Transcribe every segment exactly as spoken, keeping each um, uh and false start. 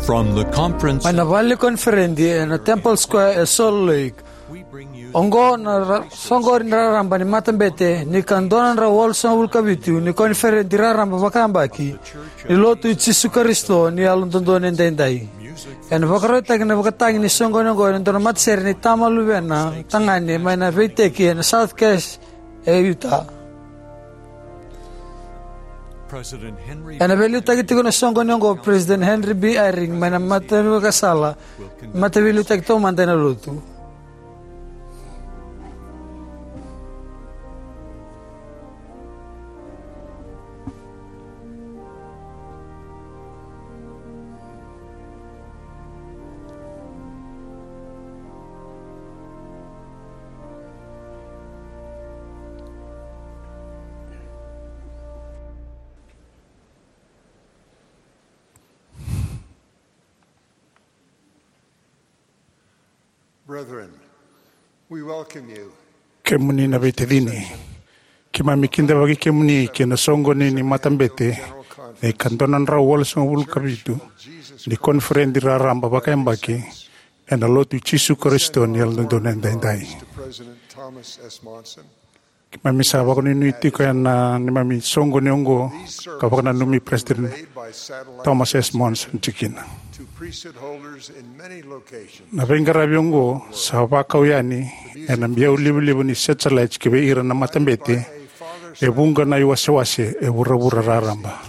From the conference, mai na vale ni koniferedi ena Temple Square e Salt Lake. Oqo na ra- soqoni raraba ni matabete ni ka dua na drau walusagavulu ka vitu ni koniferedi raraba vakayabaki ni Lotu i Jisu Karisito ni Yalododonu Edaidai. Ena vakarautaki na vakatagi ni soqoni oqo ena dua na matasere ni tama, luvena tagane mai na veiteki ena South Cache e Utah. Ena veiliutaki tiko na soqoni oqo o President Henry B. Eyring mai na mataveiliutaki sala, mataveiliutaki taumada ena Lotu. Brethren, we welcome you. Kemuni na veitacini, keimami kidavaki kemuni ki na soqoni ni matabete ni ka dua na drau walusagavulu ka vitu ni koniferedi raraba vakayabaki ena Lotu i Jisu Karisito ni Yalododonu Edaidai. Keimami sa vakanuinui tiko ena neimami soqoni oqo, ka vakananumi President Thomas S. Monson tikina. Na veiqaravi oqo sa vakau yani ena biau livaliva ni satellite ki vei ira na matabete e vuqa na iwasewase e vuravura raraba.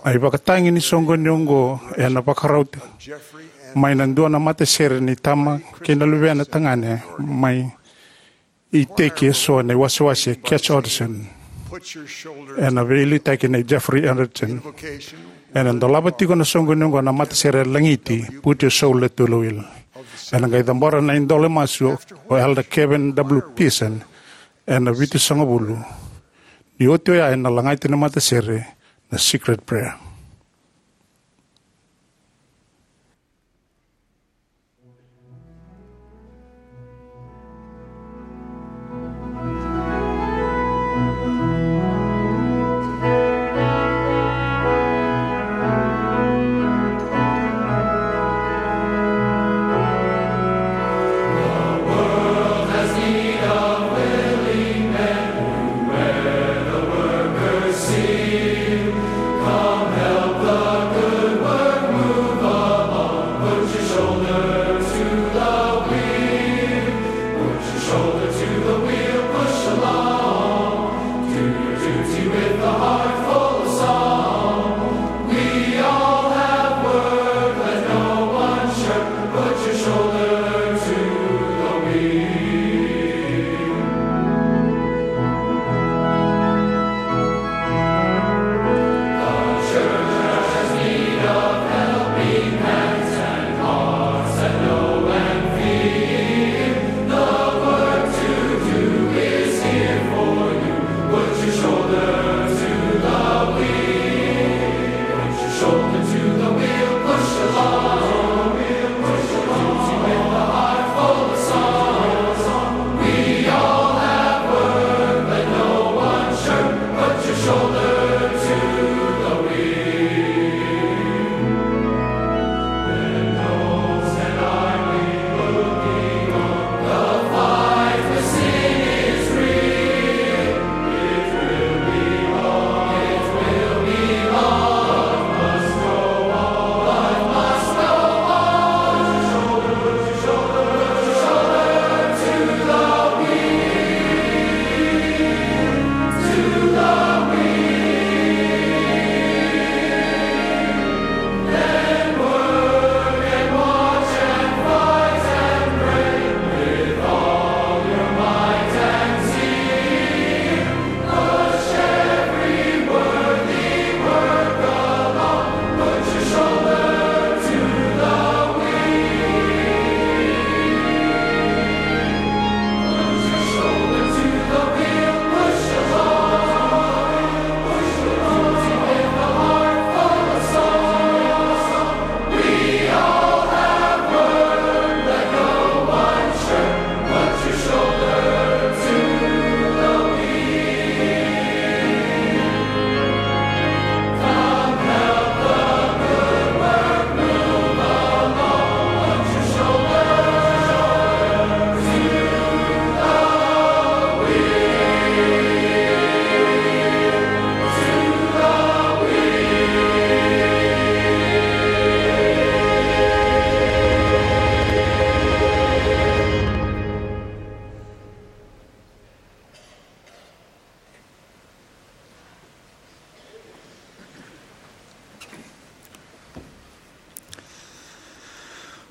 Na ivakatagi ni soqoni oqo ena vakarauti mai na dua na matasere ni tama kei na luvena tagane mai iteki eso na iwasewase Cache Odison, ena veiliutaki nei Jeffrey Anderson. Ena dolava tiko na soqoni oqo na matasere lagiti Put Your Shoulder to the Wheel. Ena qai cabora na idola masu o Elder Kevin W. Pearson ena vitusagavulu. Ni oti oya ena lagati na matasere na Secret Prayer.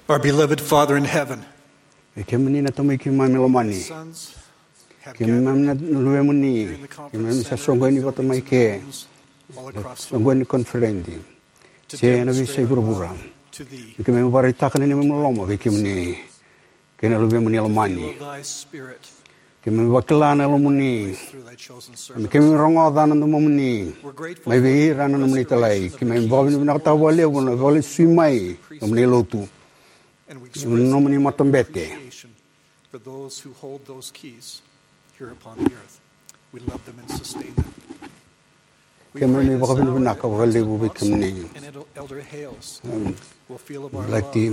Our beloved Father in heaven, E kemuni na Tamai keimami lomani. Sons have Keimami gathered na luvemuni. During the conference Keimami sa center soqoni vata mai ke. All across the Soqoni koniferedi. To Se ena demonstrate veiyasai our vuravura. Love to thee. Ni keimami vakaraitaka na neimami loloma vei kemuni. Kei na luvemuni lomani. Feel thy spirit. Keimami vakila na yalomuni. Through thy chosen Keimami servants. Rogoca na domomuni. We're grateful Mai for vei ira na nomuni talai. Keimami vakavinavinakataka vakalevu na vakalesui mai. Nomuni lotu. And we express Nomuni matabete. Appreciation for those who hold those keys here upon the earth. We love them and sustain them. We Keimami pray this now in vakavinavinaka the vakalevu vei President kemuni. Monson and Elder Hales Mm. will feel of our Like love the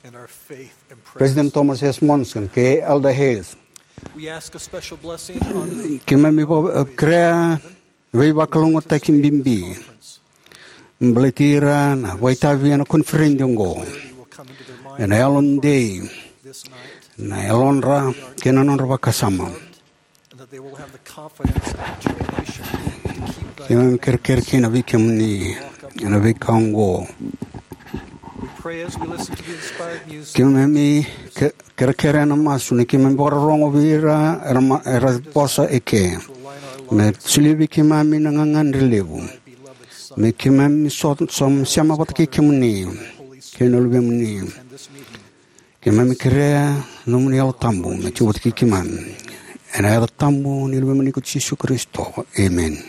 and our faith and President presence. Thomas S. Monson kei Elder Hales. We ask a special blessing on the Keimami vaka- kerea veivakalougatataki bibi. Baleti ira na vakaitavi ena koniferedi oqo. Ena yalodei, na yalodra, kei na nodra vakasama. Keimami kerekere kina vei kemuni, ena veika oqo. Keimami ke- kerekere ena masu ni keimami vakarorogo vei ira era, ma- era vosa eke. Me solia vei keimami na gagadre levu. Me keimami so- so- sema vata kei kemuni, kei na luvemuni. Keimami kerea nomuni Yalo Tabu me tiko vata kei keimami. Ena yaca tabu ni luvemuni ko Jisu Karisito. Emeni.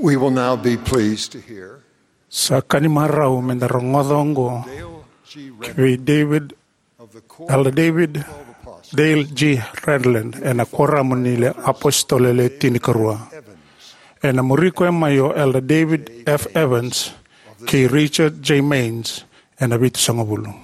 We will now be pleased to hear Sa ka ni marau me da rogoca oqo Dale G. ki vei David, of the Core Elder David Twelve Apostles. Dale G. Redland ena Kuoramu ni le Apositolo Le Tinikarua. Ena muri koya mai o Elder David F. Evans kei Richard J. Maynes ena Vitusagavulu.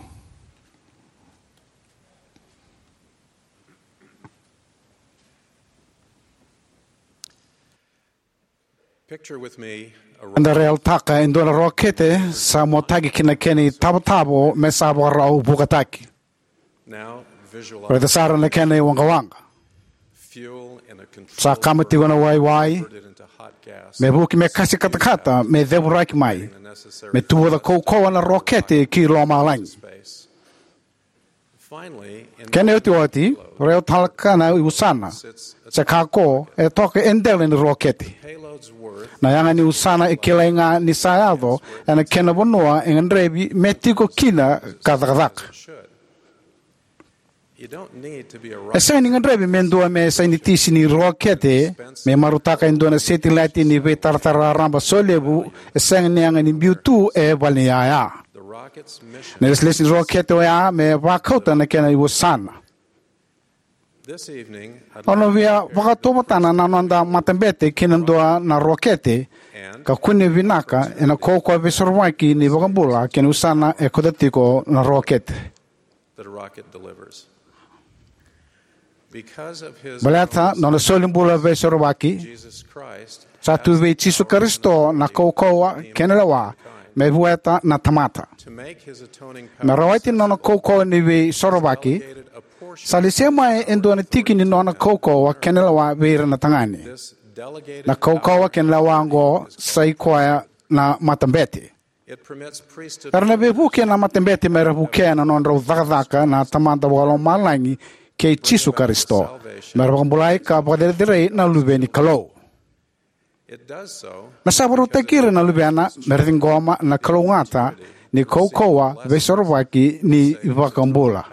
Picture with me a Eda raica e dua na rokete sa motaki ki na kena itavatava me sa vakarau vukataki. Now visualize Raica sara na kena iwaqawaqa. Fuel in a control Sa kama tiko na waiwai, diverted into hot gas. Me vuki me kasi katakata, me cevuraki mai, the necessary me tuvuca kaukauwa na rokete ki lomalagi. Space. Kena iotioti, raica tale ga na iusana se kako e toka e dela ni rokete. Na yaga ni usana e kilai ga ni sa yaco ena kena vanua e gadrevi me tiko kina ka cakacaka. E sega ni gadrevi me dua me sainitisi ni rokete me marautaka e dua na setilati ni veitaratara raraba solevu e sega ni yaga ni biu tu e valeniyaya. Na ilesilesi ni rokete oya me vakauta na kena iusana. Au na via vakatauvatana na noda matabete ki na dua na rokete ka kune vinaka ena kaukauwa veisorovaki ni iVakabula kei na usana e kauta tiko na rokete. Baleta na nona solibula veisorovaki, sa tu vei Jisu Karisito na kaukauwa kei na lewa me vueta na tamata. Me rawati na nona kaukauwa ni veisorovaki, sa lesia mai e dua na tiki ni nona kaukauwa kei na lewa vei ira na tagane. Na kaukauwa kei na lewa oqo sa i koya na matabete. Era na veivuke na matabete me ra vukea na nodrau cakacaka na Tamada Vakalomalagi kei Jisu Karisito, me ra vakabulai ka vakacerecerei na luve ni Kalou. Me sa vakarautaki ira na luvena me ra ciqoma na kalougata ni kaukauwa veisorovaki ni iVakabula.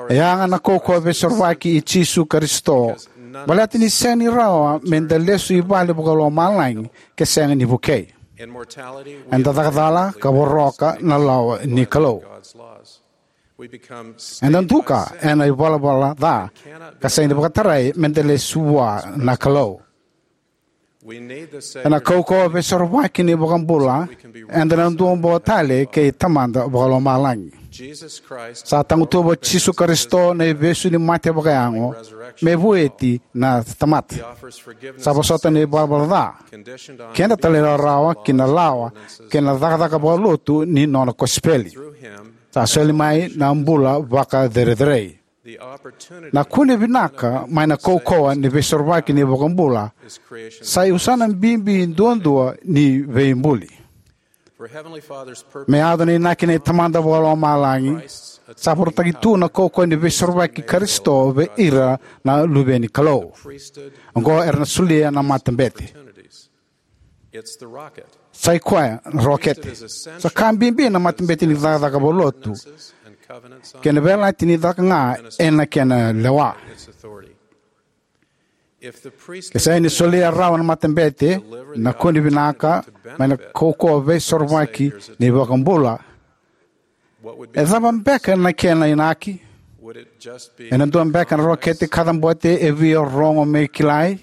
E yaga na kaukauwa veisorovaki i Jisu Karisito, baleta ni sega ni rawa me da lesu i vale vakalomalagi ke sega ni vukei. Eda caka cala ka voroka na lawa ni Kalou. Eda duka ena ivalavala ca ka sega ni vakatarai me da lesu vua na Kalou. Ena kaukauwa veisorovaki ni iVakabula, eda na duabau tale kei Tamada Vakalomalagi. Sa tagutuva o Jisu Karisito na ivesu ni mate vakayago me vueti na tamata. Sa vosota na ivalavala ca keda talairawarawa ki na lawa kei na cakacaka vakalotu ni nona kosipeli. Sa soli mai na bula vakacerecerei. Na kune vinaka mai na kaukauwa ni veisorovaki ni iVakabula sa iusana bibi duadua ni veibuli. Me yaco na inaki nei Tamada Vakalomalagi, sa vakarautaki tu na kaukauwa ni veisorovaki i Karisito vei ira na luve ni Kalou. Oqo era na solia na matabete. Sa i koya na rokete. Sa ka bibi na matabete ni cakacaka vakalotu kei na veiyalayalati ni caka ga ena kena lewa. Ke sega ni solia rawa na matabete na kune vinaka mai na kaukauwa veisorovaki ni iVakabula, e cava beka na kena inaki? Ena dua beka na rokete kacabote e via rogo me kilai?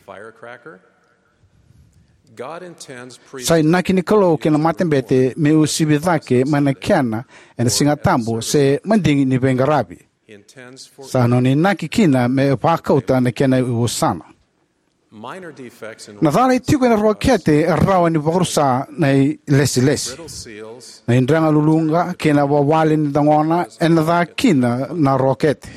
Sa inaki ni Kalou kei na matabete me uasivi cake mai na kena ena Siga Tabu se madigi ni veiqaravi. Sa nona inaki kina me vakauta na kena iusana. Na cala e tiko ena rokete e rawa ni vakarusa na ilesilesi. Na idrega luluqa kei na wawale ni dagona ena ca kina na rokete.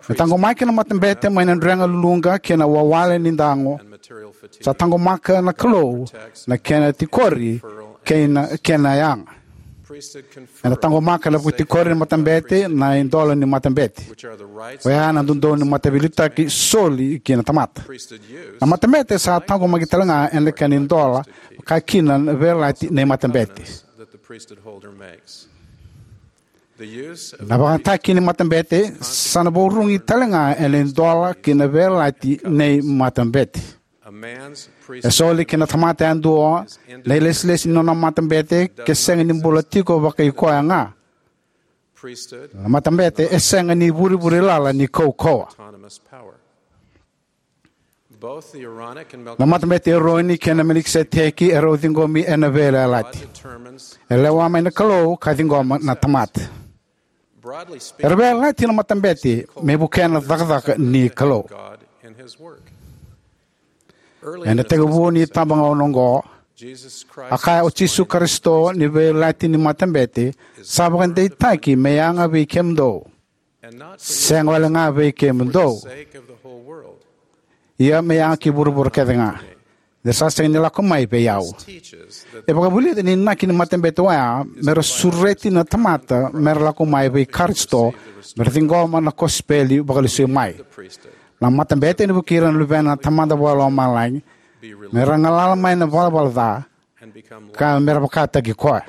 Me taqomaki na matabete mai na drega luluqa kei na wawale ni dago, sa taqomaka na Kalou na kena tikori kei na kena yaga. Ena taqomaka na vakatikori ni matabete na idola ni matabete, oya na dodonu ni mataveiliutaki soli ki na tamata. Na matabete sa taqomaki talega ena kena idola, ka kina na veiyalayalati nei matabete. Na vakayagataki ni matabete sa na vakarurugi talega ena idola kei na veiyalayalati nei matabete. E soli ki na tamata yadua na ilesilesi ni nona matabete ke sega ni bula tiko vakai koya ga. Na matabete e sega ni ivurevure lala ni kaukauwa. Na matabete Eroni kei na Melikiseteki e rau ciqomi ena veiyalayalati. E lewa mai na Kalou ka ciqoma na tamata. Era veiyalayalati na matabete me vukea na cakacaka ni Kalou. Ena itekivu ni itabagauna oqo, a kaya o Jisu Karisito ni veiyalayalati ni matabete sa vakadeitaki me yaga vei kemudou, sega wale ga vei kemudou, ia me yaga ki vuravura kece ga, ni ra sa sega ni lako mai vei au. E vakavulica ni inaki ni matabete oya me ra sureti na tamata me ra lako mai vei Karisito me ra ciqoma na kosipeli vakalesui mai. Na matabete ena vukei ira na luvena na Tamada Vakalomalagi me ra galala mai na valavala ca ka me ra vakataki koya.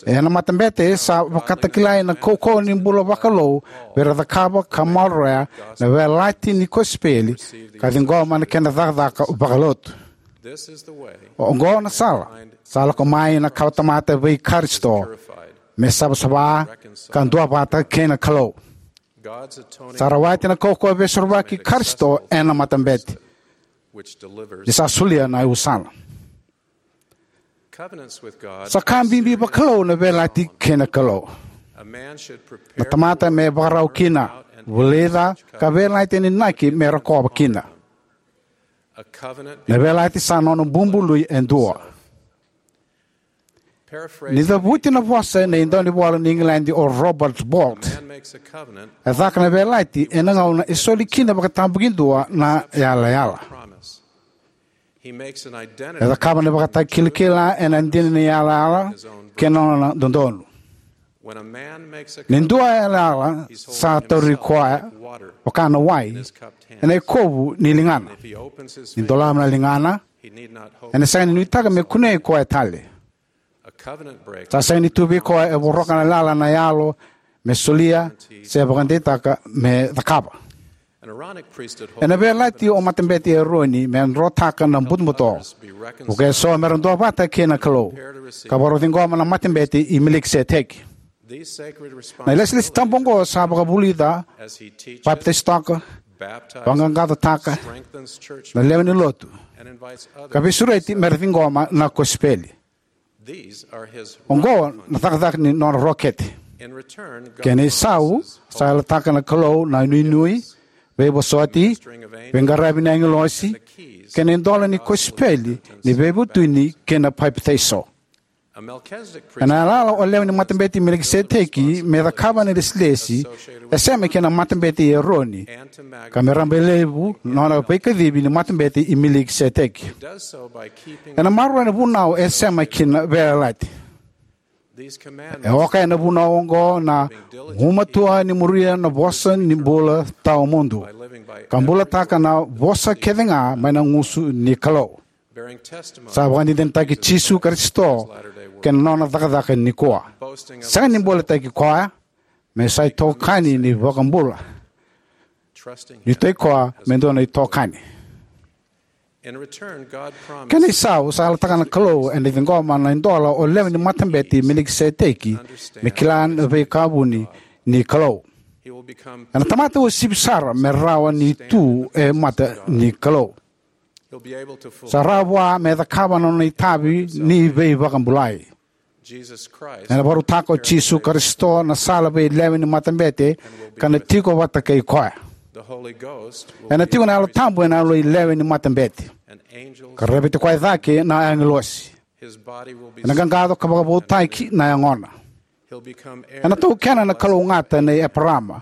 Ena matabete sa vakatakilai na kaukauwa ni bula vakalou vei ira cakava ka maroroya na veiyalayalati ni kosipeli ka ciqoma na kena cakacaka vakalotu. Oqo na sala sa lako mai na kawatamata vei Karisito me savasava ka duavata kei na Kalou. Sa rawati na kaukauwa veisorovaki Karisito ena matabete, ni sa solia na iusana. Sa ka bibi vakalou na veiyalayalati kei na Kalou. Na tamata me vakarau kina, vulica ka veiyalayalati ena inaki me rokova kina. Na veiyalayalati sa nona bubului e dua. Ni cavuti na vosa nei daunivola ni Igiladi o Robert Bolt, e caka na veiyalayalati ena gauna e soli kina vakatabakidua na yalayala. E cakava na ivakatakilakila ena dina ni yalayala kei na nona dodonu. Ni dua e yalayala, sa tauri koya vaka na wai ena ikovu ni ligana. Ni dolava na ligana, ena sega ni nuitaka me kunei koya tale. Sa sega ni tu vei koya e voroka na yalayala na yalo me solia se vakadeitaka me cakava. Ena veiyalayalati o matabete Eroni me drotaka na butobuto, vuke so me ra duavata kei na Kalou, ka vakarau ciqoma na matabete i Melikiseteki. Na ilesilesi tabu oqo sa vakavulica, papitaisotaka, vaqaqacotaka na lewe ni lotu, ka veisureti me ra ciqoma na kosipeli. Oqo na cakacaka ni nona rokete. Kena isau, sa yalataka na Kalou na inuinui, veivosoti, veiqaravi ni agilosi, kei na idola ni kosipeli ni veivutuni kei na papitaiso. Ena yalayala o lewe ni matabete i Melikiseteki me cakava na ilesilesi e sema ki na matabete i Eroni, ka me rabailevu na nona veikacivi ni matabete i Melikiseteki. Ena maroroya na vunau e sema ki na veiyalayalati. E oka ena vunau oqo na gumatua ni muria na vosa ni bula tawamudu, ka bulataka na vosa kece ga mai na gusu ni Kalou. Sa vakadinadinataki Jisu Karisito kei na nona cakacaka nikua. Sega ni bulataki koya, me sa itokani ni vakabula. Ni tei koya me dua na itokani. Kena isau, sa yalataka na Kalou ena ciqoma na idola o lewe ni matabete i Melikiseteki me kila na veika vuni ni Kalou. Ena tamata uasivi sara me rawa ni tu e mata ni Kalou. Sa rawa vua me cakava na nona itavi ni veivakabulai. Ena vakarautaka o Jisu Karisito na sala vei lewe ni matabete ka na tiko vata kei koya. Ena tiko na Yalo Tabu ena yaloi lewe ni matabete, ka rereveti koya cake na agilosi. Ena qaqaco ka vakavoutaki na yagona. Ena taukena na kalougata nei Eparama,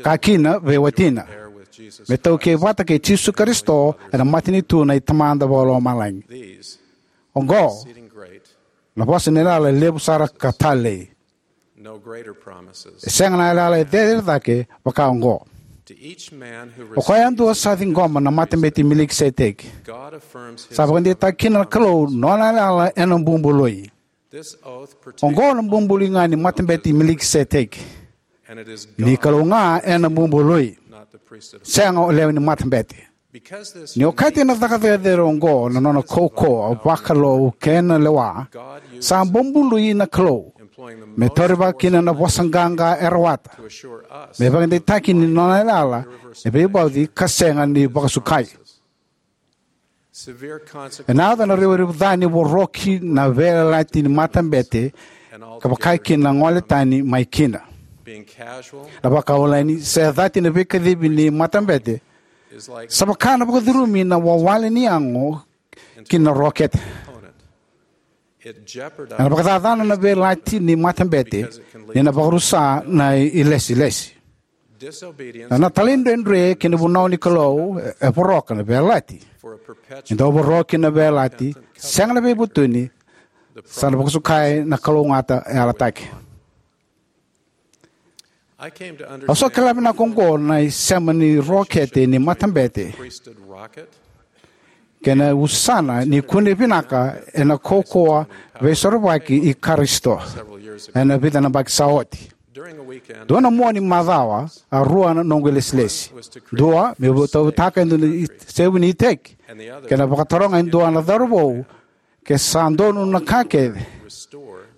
ka kina vei watina, me taukei vata kei Jisu Karisito ena matanitu nei Tamada Vakalomalagi. Oqo na vosa ni yalayala e levu sara ka talei. E sega na yalayala e cecere cake vaka oqo. O koya yadua sa ciqoma na matabete i Melikiseteki, sa vakadeitaka kina na Kalou nona yalayala ena bubului. Oqo na bubului ga ni matabete i Melikiseteki. Ni Kalou ga ena bubului, sega o lewe ni matabete. Ni okati ena cakacaka cecere oqo na nona kaukauwa vakalou kei na lewa, sa bubului na Kalou me taurivaka kina na vosa qaqa e rawata me vakadeitaki ni nona yalayala e veivauci ka sega ni vakasukai. Ena yaco na revurevu ca ni voroki na veiyalayalati ni matabete ka vaka kina na gole tani mai kina. Na vakawaleni se cati na veikacivi ni matabete sa vaka na vakacurumi na wawale ni yago ki na rokete. Ena vakacacana na veiyalayalati ni matabete ni na vakarusa na ilesilesi. Na talaidredre ki na vunau ni Kalou e voroka na veiyalayalati. Ni dau voroki na veiyalayalati sega na veivutuni, sa na vakasukai na kalougata e yalataki. Au sa kila vinaka oqo na isema ni rokete ni matabete kei na usana ni kune vinaka ena kaukauwa veisorovaki i Karisito ena vica na yabaki sa oti. Dua na mua ni macawa, a rua na noqu ilesilesi. Dua meu tauyavutaka e dua na isevu ni iteki, kei na vakataroga e dua na cauravou ke sa donu na ka kece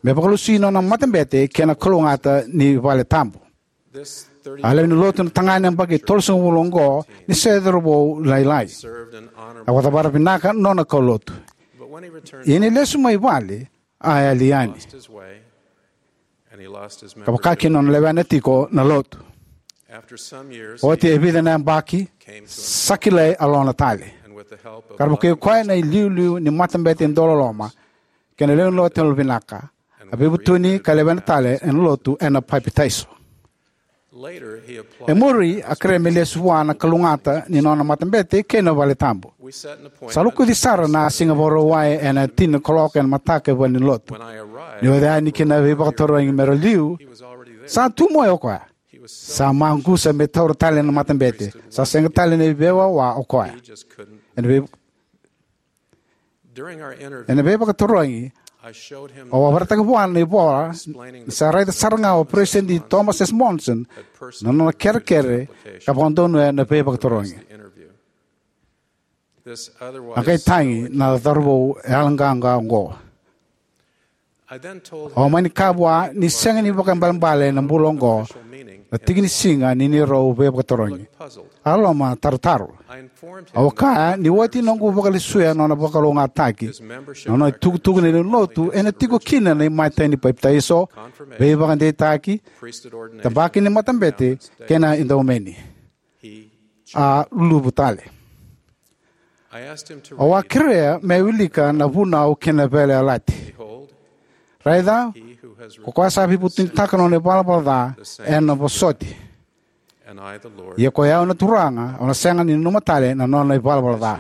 me vakalesui nona matabete kei na kalougata ni vale tabu. A lewe ni lotu na tagane yabaki tolusagavulu oqo ni se cauravou lailai. A vakacavara vinaka nona kaulotu. Ia ni lesu mai vale, a yali yani ka vaka kina nona lewena tiko na lotu. Oti e vica na yabaki, sa kilai a lona tale. Ka ra vukei koya na iliuliu ni matabete dauloloma kei na lewe ni lotu yalovinaka, a veivutuni ka lewena tale ena lotu ena papitaiso. E muri a kerea me lesu vua na kalougata ni nona matabete kei na vale tabu. Sa lokuci sara na siga Vakarauwai ena tini na kaloko ena mataka e valenilotu. Niu yaco yani ki na veivakatarogi me ra liu, sa tu mai o koya. Sa maqusa me taura tale na matabete. Sa sega tale ni veiwawa o koya. Ena vei Ena veivakatarogi, au a vakaraitaka vua na ivola ni sa raica sara ga o Peresitedi Thomas S. Monson na nona kerekere ka vakadonuya na veivakatarogi. A qai tagi na cauravou yaloqaqa oqo. Au a mani kaya vua ni sega ni vakaibalebale na bula oqo na tiki ni siga ni neirau veivakatarogi. A loma tarotaro. Au a kaya ni oti noqu vakalesuya nona vakalougatataki, na nona itukutuku ni lewe ni lotu ena tiko kina na imatai ni papitaiso, veivakadeitaki, tabaki ni matabete kei na edaumeni. A luluvu tale. Au a kerea me wilika na vunau kei na veiyalayalati. Raica, ko koya sa veivutunitaka na nona ivalavala ca ena vosoti. Ia ko i au na Turaga, au na sega ni nanuma tale na nona ivalavala ca.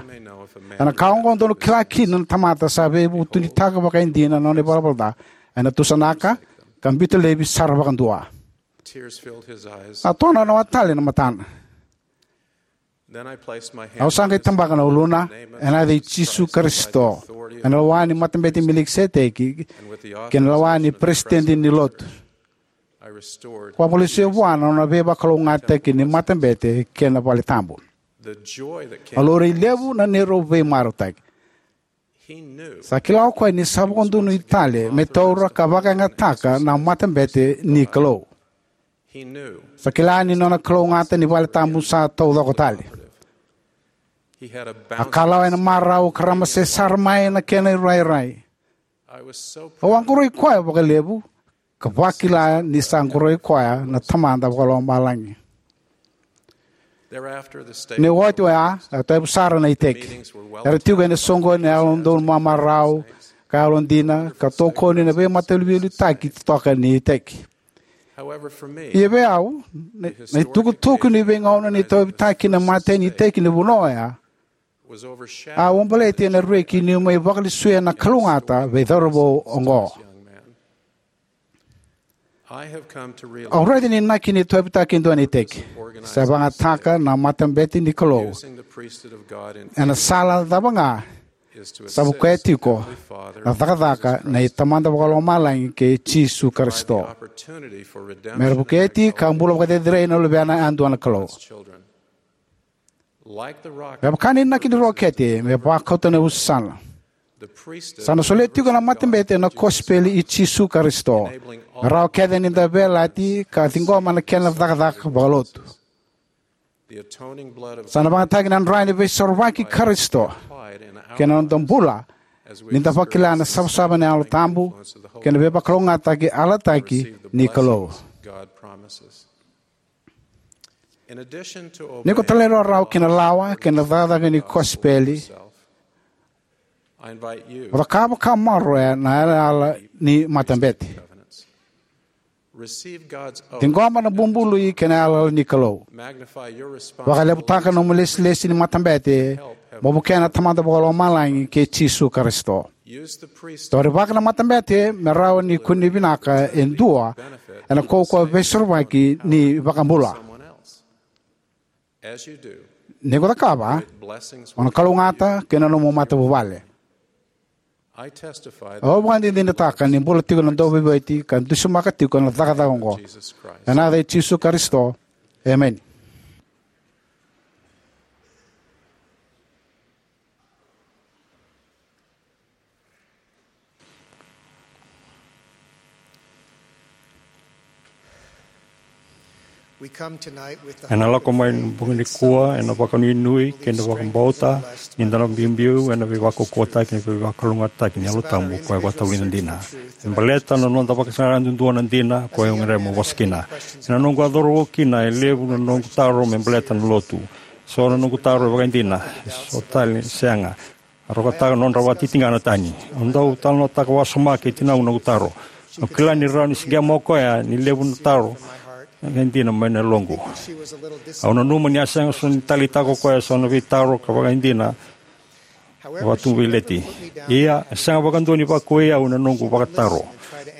Ena ka oqo dou na kila kina na tamata sa veivutunitaka vakaidina na nona ivalavala ca, ena tusanaka ka biuta laivi sara vakadua. A tona na watale na matana. Au sa qai tabaka na uluna ena yaca i Jisu Karisito, ena lewa ni matabete i Melikiseteki kei na lewa ni peresitedi ni lotu. Ko a vakalesuya vua na nona veivakalougatataki ni matabete kei na vale tabu. A laurai levu na neirau veimarautaki. Sa kila o koya ni sa vakadonui tale me taura ka vakayagataka na matabete ni Kalou. Sa kila ni nona kalougata ni vale tabu sa taucoko tale. A kalawa ena marau ka ramase sara mai na kena irairai. Au a qoroi koya vakalevu ka vakila ni sa qoroi koya na Tamada Vakalomalagi. Ni oti oya, a toevu sara na iteki. Era tiko ena soqoni na yalododonu mamarau ka yalodina ka tokoni na veimatavuvulitaki totoka ni iteki. Ia vei au, na, na itukutuku ni veigauna ni tauyavutaki na imatai ni iteki ni vanua oya, a uabaleti ena reki niu mai vakalesuya na kalougata vei cauravou oqo. Au raica ni inaki ni tauyavutaki e dua na iteki, se vakayagataka na matabete ni Kalou ena sala cava ga, Sa vukea tiko na cakacaka nei Tamada Vakalomalagi kei Jisu Karisito me ra vuketi ka bula vakacerecerei na luvena yadua na Kalou. Me vaka na inaki ni rokete me vakauta na iusana, sa na solia tiko na matabete na kosipeli i Jisu Karisito me rawa kece ni da veiyalayalati ka ciqoma na kena cakacaka vakalotu. Sa na vakayagataki na Dra ni Veisorovaki i Karisito kei na noda bula ni da vakila na savasava ni Yalo Tabu kei na veivakalougatataki yalataki ni Kalou. Ni ko talairawarawa ki na lawa kei na cakacaka ni kosipeli, mo cakava ka maroroya na yalayala ni matabete. Ciqoma na bubului kei na yalayala ni Kalou. Vakalevutaka nomu ilesilesi ni matabete mo vukea na Tamada Vakalomalagi kei Jisu Karisito. Taurivaka na matabete me rawa ni kunei vinaka e dua ena kaukauwa veisorovaki ni iVakabula. Ni ko cakava, o na kalougata kei na nomu matavuvale. Au vakadinadinataka ni bula tiko na Dauveivueti ka dusimaka tiko na cakacaka oqo. Ena yaca i Jisu Karisito, emeni. We come tonight with the Ena lako mai na bogi nikua ena vakanuinui kei na vakabauta ni da na biubiu ena veivakaukauwataki, na veivakalougatataki ni Yalo Tabu, koya e vakatavulica dina. E baleta na noda vakasaqara duadua na dina, koya au gadreva meu vosa kina. Ena noqu a cauravou kina, e levu na noqu taro me baleta na lotu. So na noqu taro e vakaidina, so tale sega. A rokataka na nodra vakatitiqa na tani. Au dau talanoataka wasoma kei tinaqu noqu taro. Au kila ni rawa ni siqema o koya ni levu na taro e dina mai na yaloqu. Au nanuma ni a sega soti ni taleitaka o koya so na veitaro ka vakaidina vakatubu veileti. Ia, e sega vakadua ni vakuwai au ena noqu vakataro.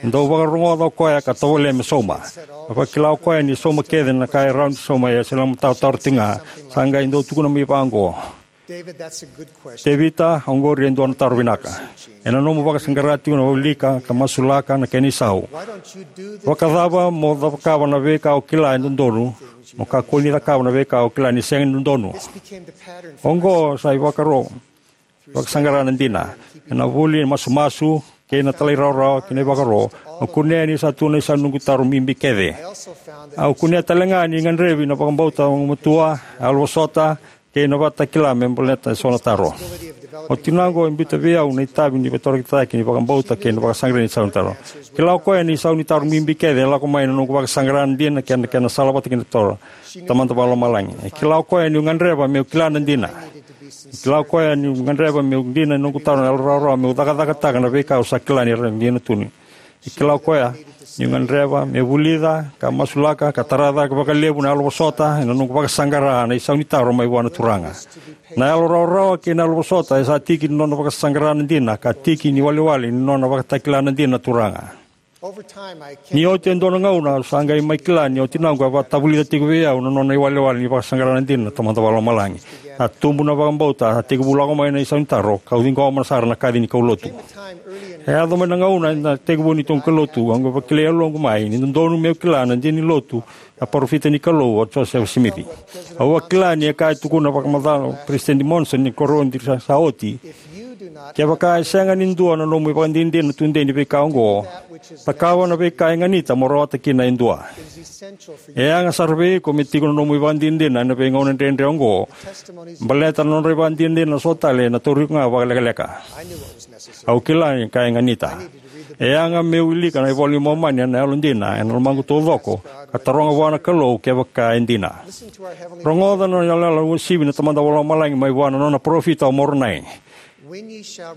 Dau vakarogoca o koya ka tovolea me sauma. A vakila o koya ni sauma kece na ka e rawa ni sauma, ia sa lako mai na taro tiko ga. Sa qai dau tukuna mai vaqo: David, that's a good question. Tevita, oqori e dua na taro vinaka. Ena nomu vakasaqara tiko na wilika ka masulaka na kena isau, vakacava mo cakava na veika o kila e dodonu mo kakua ni cakava na veika o kila ni sega ni dodonu? Oqo sa ivakaro vakasaqara na dina. Ena vuli, masumasu, kei na talairawarawa kei na ivakaro, au kunea ni sa tu na isau ni noqu taro bibi kece. Au kunea tale ga ni gadrevi na vakabauta gumatua, yalovosota, kei na vakatakila me baleta eso na taro. O tinaqu e biuta vei au na itavi ni veitarogi cake ni vakabauta kei na vakasaqarai ni isau ni taro. Kila o koya ni isau ni taro bibi kece e lako mai na noqu vakasaqara na dina kei na kena salavata kei na taro. Tamada Vakalomalagi. E kila o koya niu gadreva meu kila na dina. E kila o koya niu gadreva meu dina ena noqu taro na yalorawarawa meu cakacakataka na veika au sa kila ni rawa ni dina tu. E kila o koya niu gadreva meu vulica ka masulaka ka tara cake vakalevu na yalovosota ena noqu vakasaqara na isau ni taro mai vua na Turaga. Na yalorawarawa kei na yalovosota e sa tiki ni nona vakasaqara na dina ka tiki ni iwalewale ni nona vakatakila na dina na Turaga. Ni oti e dua na gauna, au sa qai mai kila ni o tinaqu a vakatavulica tiko vei au na nona iwalewale ni vakasaqara na dina na Tamada Vakalomalagi. A tubu na vakabauta, a tekivu lako mai na isau ni taro, kau ciqoma sara na kaci ni kaulotu. E yaco mai na gauna ena tekivu ni noqu kaulotu, au qai vakilai e yaloqu mai ni dodonu meu kila na dina ni lotu na parofita ni Kalou o Josefa Simici. Au a kila ni a kaya, tukuna vakamacala o Peresitedi Monson ni koro ni sa, sa oti: Kevaka e sega ni dua na nomu ivakadinadina tudei ni veika oqo, cakava na veika e ganita mo rawata kina e dua. E yaga sara vei iko me tiko na nomu ivakadinadina ena veigauna dredre oqo, baleta na nodra ivakadinadina so tale ena tauri iko ga vakalekaleka. Au kila ni ka e ganita. E yaga meu wilika na iVola i Momani ena yalodina ena lomaqu taucoko, ka taroga vua na Kalou kevaka e dina. Rogoca na yalayala uasivi na Tamada Vakalomalagi mai vua na nona parofita o Moronai: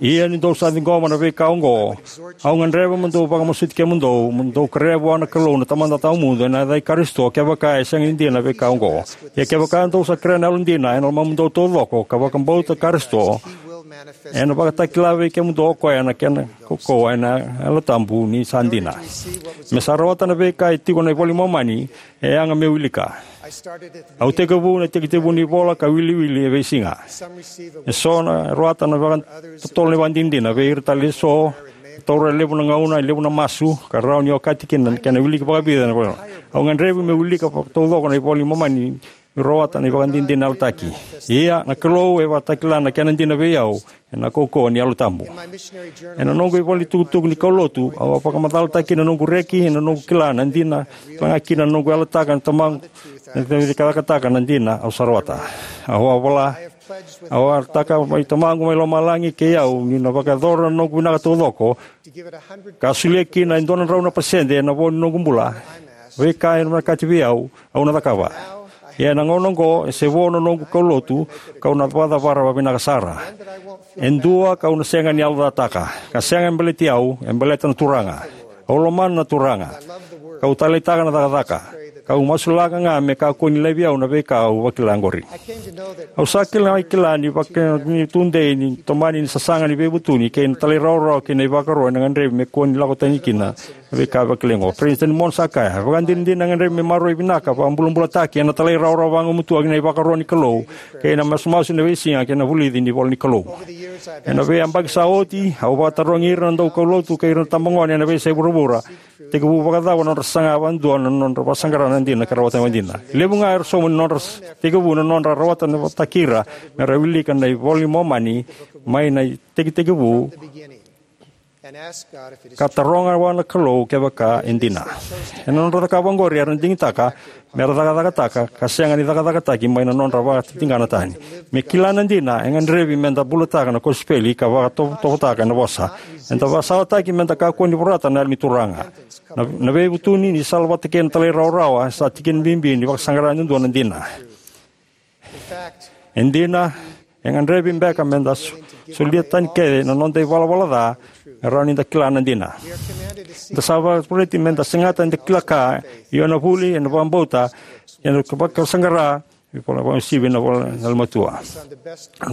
Ia ni dou sa ciqoma na veika oqo, au gadreva mo dou vakamasuti kemudou, mo dou kerea vua na Kalou na Tamada Tawamudu ena yaca i Karisito, kevaka e sega ni dina na veika oqo. Ia kevaka dou sa kerea na yalodina ena lomamudou taucoko, ka vakabauta Karisito, Ena vakatakila vei kemudou o koya na kena kaukauwa ena Yalo Tabu ni sa dina. Me sa rawata na veika e tiko na iVola i Momani, e yaga meu wilika. Au tekivu na itekitekivu ni ivola ka wiliwili e veisiga. Eso na rawata na vakatotolo na ivakadinadina, vei ira tale eso e taura e levu na gauna, e levu na masu, ka rawa ni okati kina na kena wiliki vakavica na ivola. Au gadrevi meu wilika vakataucoko na iVola i Momani, meu rawata na ivakadinadina yalataki. Ia, na Kalou e vakatakila na kena dina vei au ena kaukauwa ni Yalo Tabu. Ena noqu ivola ni tukutuku ni kaulotu, au a vakamacalataka kina na noqu reki, ena noqu kila na dina, kila ga kina na noqu yalataka na Tamaqu, na cakacakataka na dina au sa rawata. Au a vola, au a yalataka mai Tamaqu mai lomalagi kei au, niu na vakayacora na noqu vinaka taucoko, ka solia kina e dua na drau na pasede ena vo ni noqu bula. Veika e vinakati vei au, au na cakava. Ia ena gauna oqo, e se vo na noqu kaulotu, kau na vakacavara vakavinaka sara. E dua kau na sega ni yalocataka, ka sega e baleti au, e baleta na Turaga. Au lomana na Turaga. Kau taleitaka na cakacaka. Kau masulaka ga me kakua ni laivi au na veika au vakila oqori. Au sa kila, kila ni vaka ni tudei ni tomani ni sasaga ni veivutuni kei na talairawarawa kei na ivakaro ena gadrevi me kua ni lako tani kina na veika vakilai oqo. President Monson sa kaya, vakadinadina e gadrevi me maroroi vinaka, vakabulabulataki ena talairawarawa vagumatua ki na ivakaro ni Kalou, kei na masumasu ena veisiga kei na vulici ni ivola ni Kalou. Ena veiyabaki sa oti, au vakatarogi ira na daukaulotu kei ira na tabagone ena veiyasai vuravura, tekivu vakacava na nodra saga vakadua na nodra vakasaqara na dina ka rawata na dina. Levu ga era sauma ni nodra s-, tekivu na nodra rawata na vakataki ira me ra wilika na iVola i Momani mai na itekitekivu, ka taroga vua na Kalou kevaka e dina. Ena nodra cakava oqori era digitaka me ra cakacakataka ka sega ni cakacakataki mai na nodra vakatitiqana tani. Me kila na dina, e gadrevi me da bulataka na kosipeli ka vakatovotovotaka ena vosa. Eda vakasalataki me da kakua ni vorata na Yalo ni Turaga. Na, na veivutuni ni sala vata kei na talairawarawa sa tikina bibi ni vakasaqara duadua na dina. E dina, e gadrevi beka me da so-, solia tani kece na noda ivalavala ca me rawa ni da kila na dina. Da sa vakavulici me da segata ni da kila ka, io na vuli, ena vakabauta, ena vakasaqara, ivola vakauasivi na ivola ni yalomatua.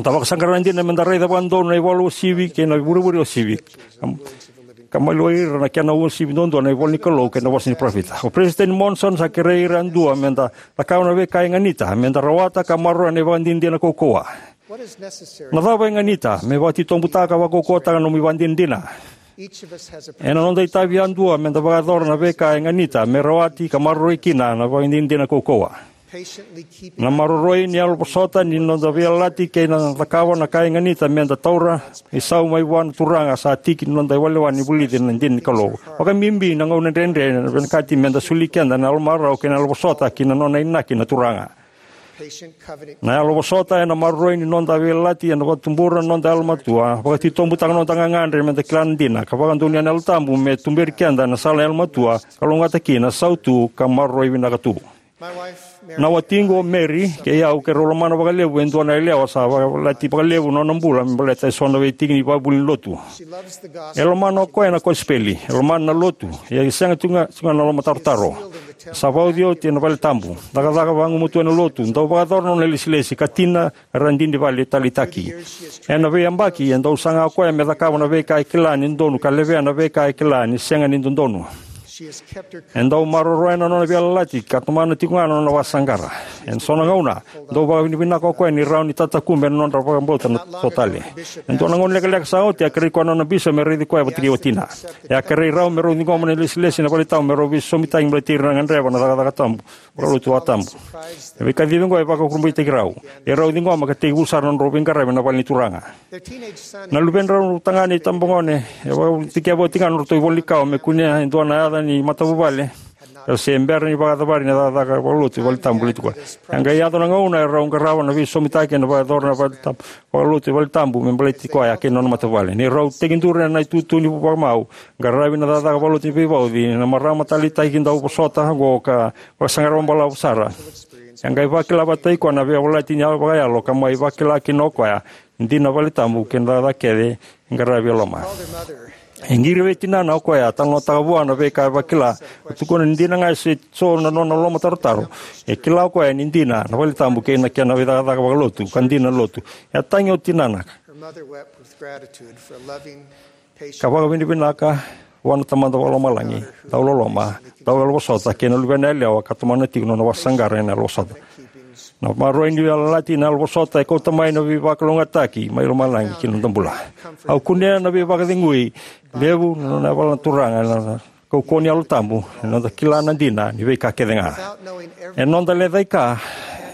Da vakasaqara na dina me da raica vakadodonu na ivola uasivi kei na ivurevure uasivi. Ka maliwai ira na kena uasivi duadua na ivola ni Kalou kei na vosa ni parofita. O President Monson sa kerei ira yadua me da cakava na veika e ganita me da rawata ka maroroya na ivakadinadina kaukauwa. Na cava e ganita me vakatitobutaka vakaukauwataka na nomu ivakadinadina? Ena noda itavi yadua me da vakayacora na veika e ganita me rawati ka maroroi kina na ivakadinadina kaukauwa. Na maroroi ni yalovosota ni noda veiyalayalati kei na cakava na ka e ganita me da taura isau mai vua na Turaga sa tiki ni noda iwalewale ni vulici na dina ni Kalou. Vakabibi na gauna dredre, na vinakati me da soli keda na yalomarau kei na yalovosota ki na nona inaki na Turaga. Na yalovosota ena maroroi ni noda veiyalayalati, ena vakatubura na noda yalomatua, vakatitobutaka na noda gagadre me da kila na dina, ka vakadonuya na Yalo Tabu me tuberi keda ena sala yalomatua, ka lougatataki na sautu ka maroroi vinaka tu. Na watiqu o Mary kei au keirau lomana vakalevu e dua na yalewa sa vakayalayalati vakalevu na nona bula me baleta eso na veitiki ni ivakavuvuli ni lotu. E lomana o koya na kosipeli, e lomana na lotu, ia e sega tu ga, tu ga na lomatarotaro. Sa vauci oti ena valetabu, cakacaka vagumatua ena lotu, dau vakayacora na nona ilesilesi, ka tina era dina ni vale taleitaki. Ena veiyabaki e dau saga o koya me cakava na veika e kila ni dodonu ka levea na veika e kila ni sega ni dodonu. E dau maroroya na nona veiyalayalati ka tomana tiko ga na nona vakasaqara. Ena so na gauna, dau vakavinavinaka o koya ni rawa ni tatakube na nodra vakabauta na so tale. E dua na gauna lekaleka sa oti, a kerei koya na nona bisopi me raici koya vata kei watina. E a kerei rau me rau ciqoma na ilesilesi ena valetabu me rau veisosomitaki baleti ira na gadreva na cakacaka tabu vakalotu vakatabu. Na veikacivi oqo e vakakurabuitaki rau. E rau ciqoma ka tekivu sara na nodrau veiqaravi ena vale ni Turaga. Na luvedrau tagane, itabagone, e vakadikeva oti ga na nodratou ivola ni kawa me kunea e dua na yaca ni matavuvale, ka se bera ni vakacavari na cakacaka vakalotu valetabu baleti koya. E a qai yaco na gauna e rau qarava na veisosomitaki ena vakayacora na valetabu vakalotu valetabu me baleti koya kei na nona matavuvale. Ni rau tekiduru ena itutu ni vakamau, qaravi na cakacaka vakalotu ni veivauci, na marama taleitaki dau vosota oqo ka vakasaqara vakabalavu sara. E a qai vakila vata kei koya na veiyalayalati ni yalo vakayalo ka mai vakila kina o koya ni dina na valetabu kei na cakacaka kece e qaravi e loma. E qiri vei tinana o koya, talanoataka vua na veika e vakila, ka tukuna ni dina ga e se so na nona lomatarotaro. E kila o koya ni dina na valetabu kei na kena veicakacaka vakalotu, ka dina na lotu. E a tagi o tinana. Mother wept with gratitude for a loving, patient Ka vakavinavinaka vua na Tamada Vakalomalagi, dau loloma, dau yalovosota, kei na luvena yalewa ka tomana tiko na nona vakasaqara ena yalovosota. Na maroroi ni veiyalayalati, na yalovosota e kauta mai na veivakalougatataki mai lomalagi ki na noda bula. Au kunea na veivakacegui levu na nona yavala na Turaga ena kaukauwa ni Yalo Tabu, ena noda kila na dina ni veika kece ga. Ena noda lecai ka,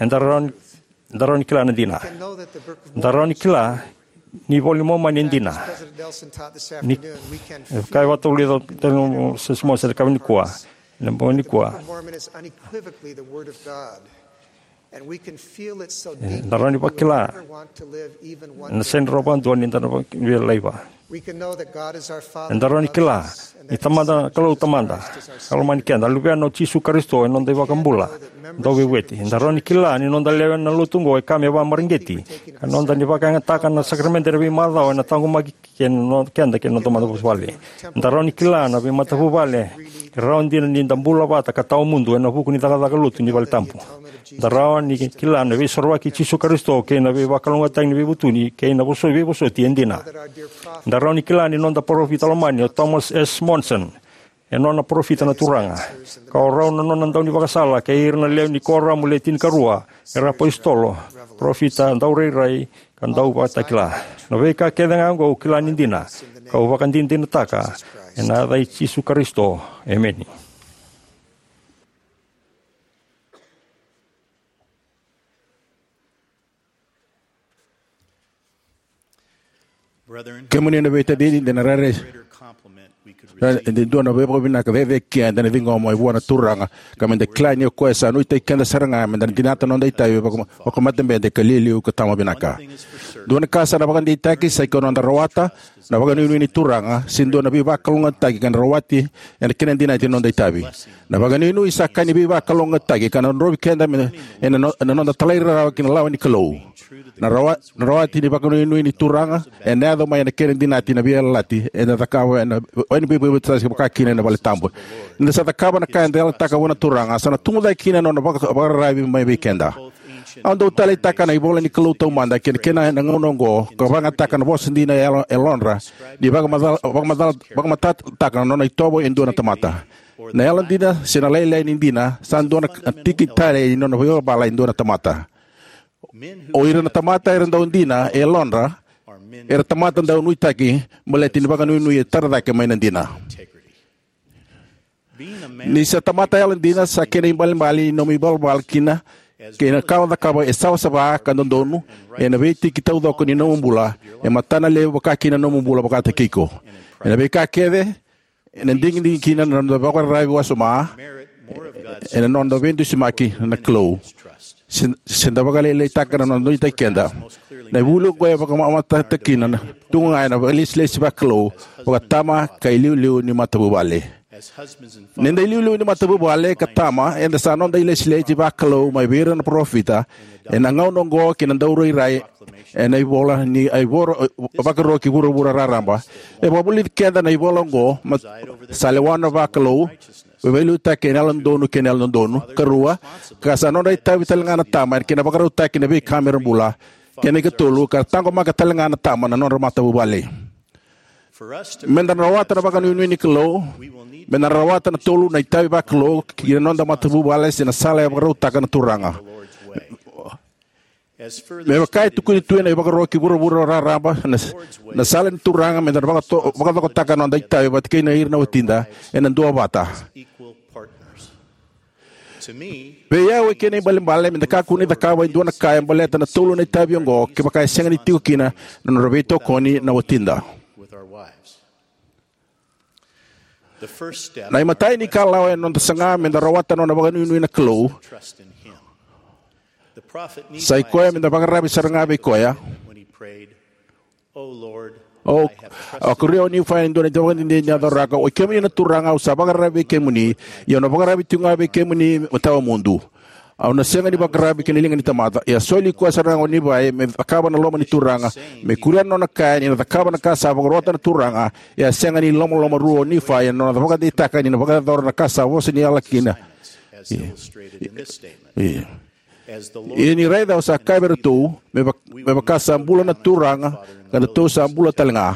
eda rawa ni, eda rawa ni kila na dina. Eda rawa ni kila ni iVola i Momani e dina. Ni, e kaya vata o Lisa, tale mo se simo se kawa nikua. Ena bogi nikua. Eda rawa ni vakila na sega ni rawa vakadua ni da na via laiva. Eda rawa ni kila ni Tamada, Kalou Tamada, ka lomani keda, Luvena o Jisu Karisito, e noda iVakabula dauveivueti. Eda rawa ni kila ni noda lewe ena lotu oqo e ka me vakamareqeti, ka noda ni vakayagataka na sakaramede ena veimacawa ena taqomaki kei na no-, keda kei na noda matavuvale. Eda rawa ni kila na veimatavuvale e rawa dina ni da bula vata ka tawamudu ena vuku ni cakacaka lotu ni vale tabu. Da rawa ni kila na veisorovaki i Jisu Karisito kei na veivakalougatataki ni veivutuni kei na voso-, veivosoti e dina. Da rawa ni kila ni noda parofita lomani o Thomas S. Monson e nona parofita na Turaga, ka o rau na nona daunivakasala kei ira na lewe ni kuoramu le tinikarua era apositolo, parofita, daurairai, ka dauvakatakila. Na veika kece ga oqo au kila ni dina, kau vakadinadinataka ena yaca i Jisu Karisito. Emeni. Kemuni na veitacini, de na rairai de dua na veivakavinaka cecere eda na ciqoma mai vua na Turaga, ka meda kila ni o koya sa nuitaki keda sara ga meda na dinata na noda itavi vaka-, vakamatabete ka liuliu ka tama vinaka. Dua na ka sa na vakadeitaki sa iko noda rawata na vakanuinui ni Turaga, se dua na veivakalougatataki ka na rawati ena kena dinati na noda itavi. Na vakanuinui sa ka ni veivakalougatataki ka na drovi keda me, ena no-, ena noda talairawarawa ki na lawa ni Kalou. Na rawa-, na rawati ni vakanuinui ni Turaga ena yaco mai ena kena dinati na veiyalayalati eda cakava ena, ena veivueti vaka kina ena vale tabu. Ni da sa cakava na ka eda yalataka vua na Turaga, sa na tubu cake kina na nona vaka-, vakararavi mai vei keda. Au dau taleitaka na ivola ni Kalou taumada kei na kena ena gauna oqo, ka vakayagataka na vosa dina e yalo-, e yalodra, ni vakamaca-, vakamaca-, vakamatatataka na nona itovo e dua na tamata. Na yalodina se na lailai ni dina sa dua na tiki tale ni nona vakayavala e dua na tamata. O ira na tamata era dau dina e yalodra, era tamata dau nuitaki baleta ni vakanuinui e tara cake mai na dina. Ni sa tamata yalodina sa kena ibalebale ni nomu ivalavala kina kei na ka o cakava e savasava ka dodonu ena veitiki taucoko ni nomu bula, e matanalevu vaka kina na nomu bula vakataki iko. Ena veika kece, ena digidigi kina na noda vakararavi wasoma ena noda veidusimaki na Kalou. Se, se da vakalailaitaka na noda nuitaki keda. Na ivuli oqo e vakamamatataka kina na tu ga ena vakailesilesi vakalou, vakatama ka iliuliu ni matavuvale. Ni da iliuliu ni matavuvale ka tama, eda sa noda ilesilesi vakalou mai vei ira na parofita ena gauna oqo kei na daurairai ena ivola ni a ivoro, Vakarua ki Vuravura Raraba. E vakavulici keda na ivola oqo, ma-, sa lewa na vakalou, veiliutaki ena yalododonu kei na yalododonu. Karua, ka sa nodra itavi talega na tama ena kena vakarautaki na veika mera bula. Kei na ikatolu, ka taqomaka talega na tama na nodra matavuvale. Meda na rawata na vakanuinui ni Kalou, meda na rawata na tolu na itavi vakalou ki na noda matavuvale se na sala e vakarautaka na Turaga. Me vaka e tukuni tu ena iVakarua ki Vuravura Raraba, na, na sala ni Turaga meda na vakato-, vakacokotaka na noda itavi vata kei na ira na watida ena duavata. Vei au e kena ibalebale meda kakua ni cakava e dua na ka e baleta na tolu na itavi oqo kevaka e sega ni tiko kina na nodra veitokoni na watida. Na imatai ni kalawa ena noda saga meda rawata na nona vakanuinui na Kalou, sa i koya meda vakararavi sara ga vei koya. O, a kuria o Nifai e dua na ivakadinadina ni yaco raka: Oi kemuni na Turaga, au sa vakararavi vei kemuni, ia au na vakararavi tiko ga vei kemuni me tawamudu. Au na sega ni vakararavi ki na liga ni tamata. Ia a soli koya sara ga o Nifai me cakava na loma ni Turaga, me kuria na nona kaya ni na cakava na ka sa vakarota na Turaga. Ia a sega ni lomalomarua o Nifai ena nona vakadeitaka ni na vakayacora na ka sa vosa ni yala kina. Ia, ia, Ia ni raica au sa kaya vei iratou, me, va, me vaka sa bula na Turaga, ka na tou sa bula tale ga.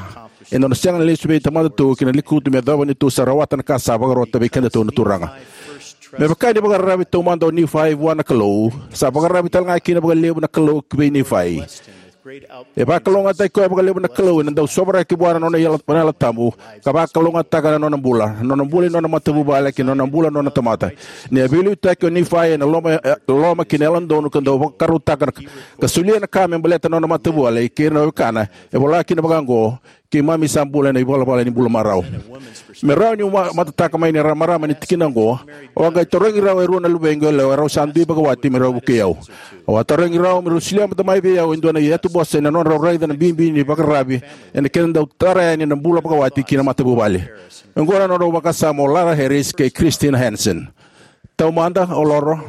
E dua na sega na lesu vei tamadatou ki na lekutu me yacova ni tou sa rawata na ka sa vakarota vei kedatou na Turaga. Me vaka ni vakararavi taumada o Nifai vua na Kalou, sa vakararavi tale ga kina vakalevu na Kalou ki vei Nifai. E vakalougatataki koya vakalevu na Kalou ena dau sovaraki vua na nona yalo, na Yalo Tabu, ka vakalougatataka na nona bula, na nona bula ni nona matavuvale, kei na nona bula na nona tamata. Ni a veiliutaki o Nifai ena loma, e, loma kei na yalododonu ka dau vakarautaka na, ka solia na ka me baleta na nona matavuvale kei ira na wekana, e vola kina vaka oqo: Keimami sa bula ena ivalavala ni bula marau. Me rawa niu ma, matataka mai ni ra marama ni tikina oqo, au a qai tarogi rau e rua na luvequ yalewa, rau sa dui vakawati, me rau vukei au. Au a tarogi rau me rau solia mada mai vei au e dua na iyatuvosa ena nodrau raica na bibi ni vakararavi ena kena dau tara yani na bula vakawati ki na matavuvale. Oqo na nodrau vakasama o Lara Harris kei Christine Hansen. Taumada, o Lara,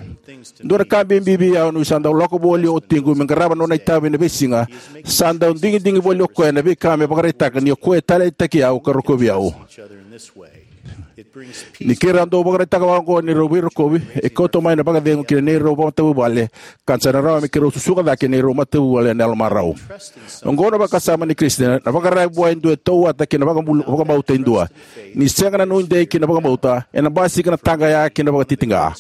dua na ka bibi vei au niu sa dau lako voli o watiqu me qarava na nona itavi ena veisiga, sa dau digidigi voli o koya ena veika me vakaraitaka ni o koya e taleitaki au ka rokovi au. Ni keirau dau vakaraitaka vaka oqo ni rau veirokovi, e kauta mai na vakacegu ki na neirau matavuvale, ka sa na rawa me keirau susuga cake neirau matavuvale ena yalomarau. Oqo na vakasama nei Christine, na vakararavi vua e dua e tauwata ki na vakabul, vakabauta e dua. Ni sega na nuidei ki na vakabauta, ena basika na taqaya ki na vakatitiqa.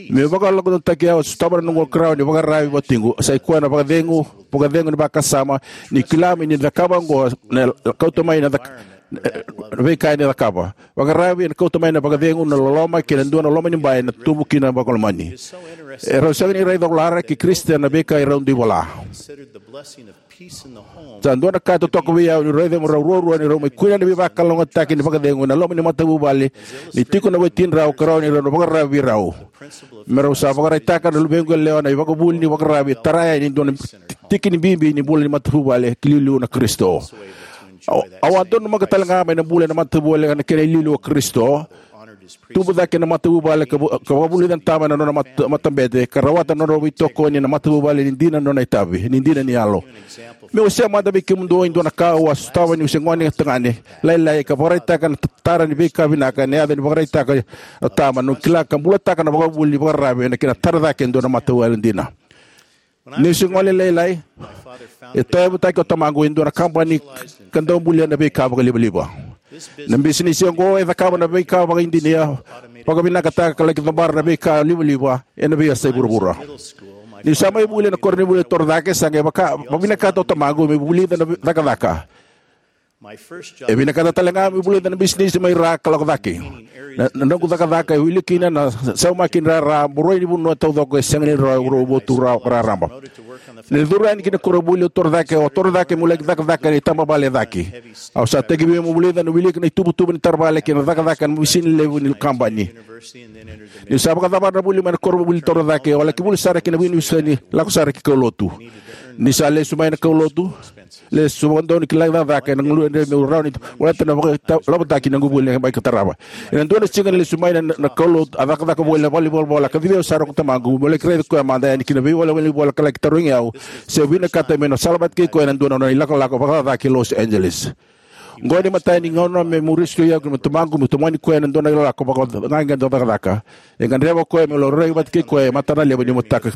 Me vakalakodautaki au, a sotava na noqu karau ni vakararavi vatiqu, sa i koya na vakacegu, vakacegu ni vakasama, ni kila me ni cakava oqo, na kauta mai na cak, na veika ena cakava. Vakararavi ena kauta mai na vakacegu, na loloma, kei na dua na loma ni bai ena tubu kina vakalomani. E rau sega ni raica o Lara kei Christine na veika e rau dui vola. Sa dua na ka e totoka vei au niu raica me rau ruarua ni rau mai kune na veivakalougatataki ni vakacegu ena loma ni matavuvale, ni tiko na watidrau ka rawa ni rau na vakararavi vei rau. Me rau sa vakaraitaka na luvequ yalewa na ivakavuvuli ni vakararavi e tara yani e dua na tiki ni bibi ni bula ni matavuvale ki liuliu na Karisito. Au, au a donumaka tale ga mai na bula ena matavuvale ena kena iliuliu o Karisito. Tubu cake na matavuvale ka vu, ka vakavulica na tama ena nona mat, matabete, ka rawata na nona veitokoni ena matavuvale ni dina na nona itavi, ni dina ni yalo. Meu wasea mada vei kemudou e dua na ka au a sotava niu se gone tagane lailai, ka vakaraitaka na tara ni veika vinaka ena yaca ni vakaraitaka na tama, niu kila ka bulataka na vakavuvuli ni vakararavi ena kena tara cake e dua na matavuvale dina. Niu se gone lailai, e tauyavutaki o tamaqu e dua na kabani ka dau bulia na veika vakalivaliva. Na bisinisi oqo e cakava na veika vakaidina, vakavinakataka ka laki cabora na veika livaliva ena veiyasai vuravura. Niu sa mai vuli ena koronivuli e Torocake, sa qai vaka, vakavinakata o tamaqu meu vulica na cakacaka. E vinakata tale ga meu vulica na bisinisi mai ra ka lako cake. Na, na noqu cakacaka e wili kina na saumaki ni rara, boroi ni vanua taucoko e sega ni rawa e vuravura raraba. Ni curu yani ki na koronivuli o Torocake, au a Torocake meu laki cakacaka ena itabavale e cake. Au sa tekivu meu vulica na wiliki na ituvatuva ni taravale kei na cakacaka ena misini levu ni kabani. Niu sa vakacavara na vuli mai na koronivuli Torocake, au a laki vuli sara ki na univesite, lako sara ki kaulotu. Ni sa lesu mai na kaulotu, lesu vakadodonu ki laki cakacaka, ena galu e dredre meu rawa ni volata na vakalavotaki ni noqu vuli ena bai ka tarava. Ena dua na siga ni lesu mai na, na kaulotu, a cakacaka voli ena valenivolavola, a kacivi au sara ko tamaqu meu laki raici koya mada yani ki na valenivolavola ka laki tarogi au se au vinakata meu na salavata kei koya ena dua na nona ilakolako vakacakacaka ki Los Angeles. Oqo na imatai ni gauna meu rescue au kei na tamaqu meu tomani koya ena dua na ilakolako vakacakacaka. E gadreva o koya meu laurai vata kei koya e matana levu ni mataka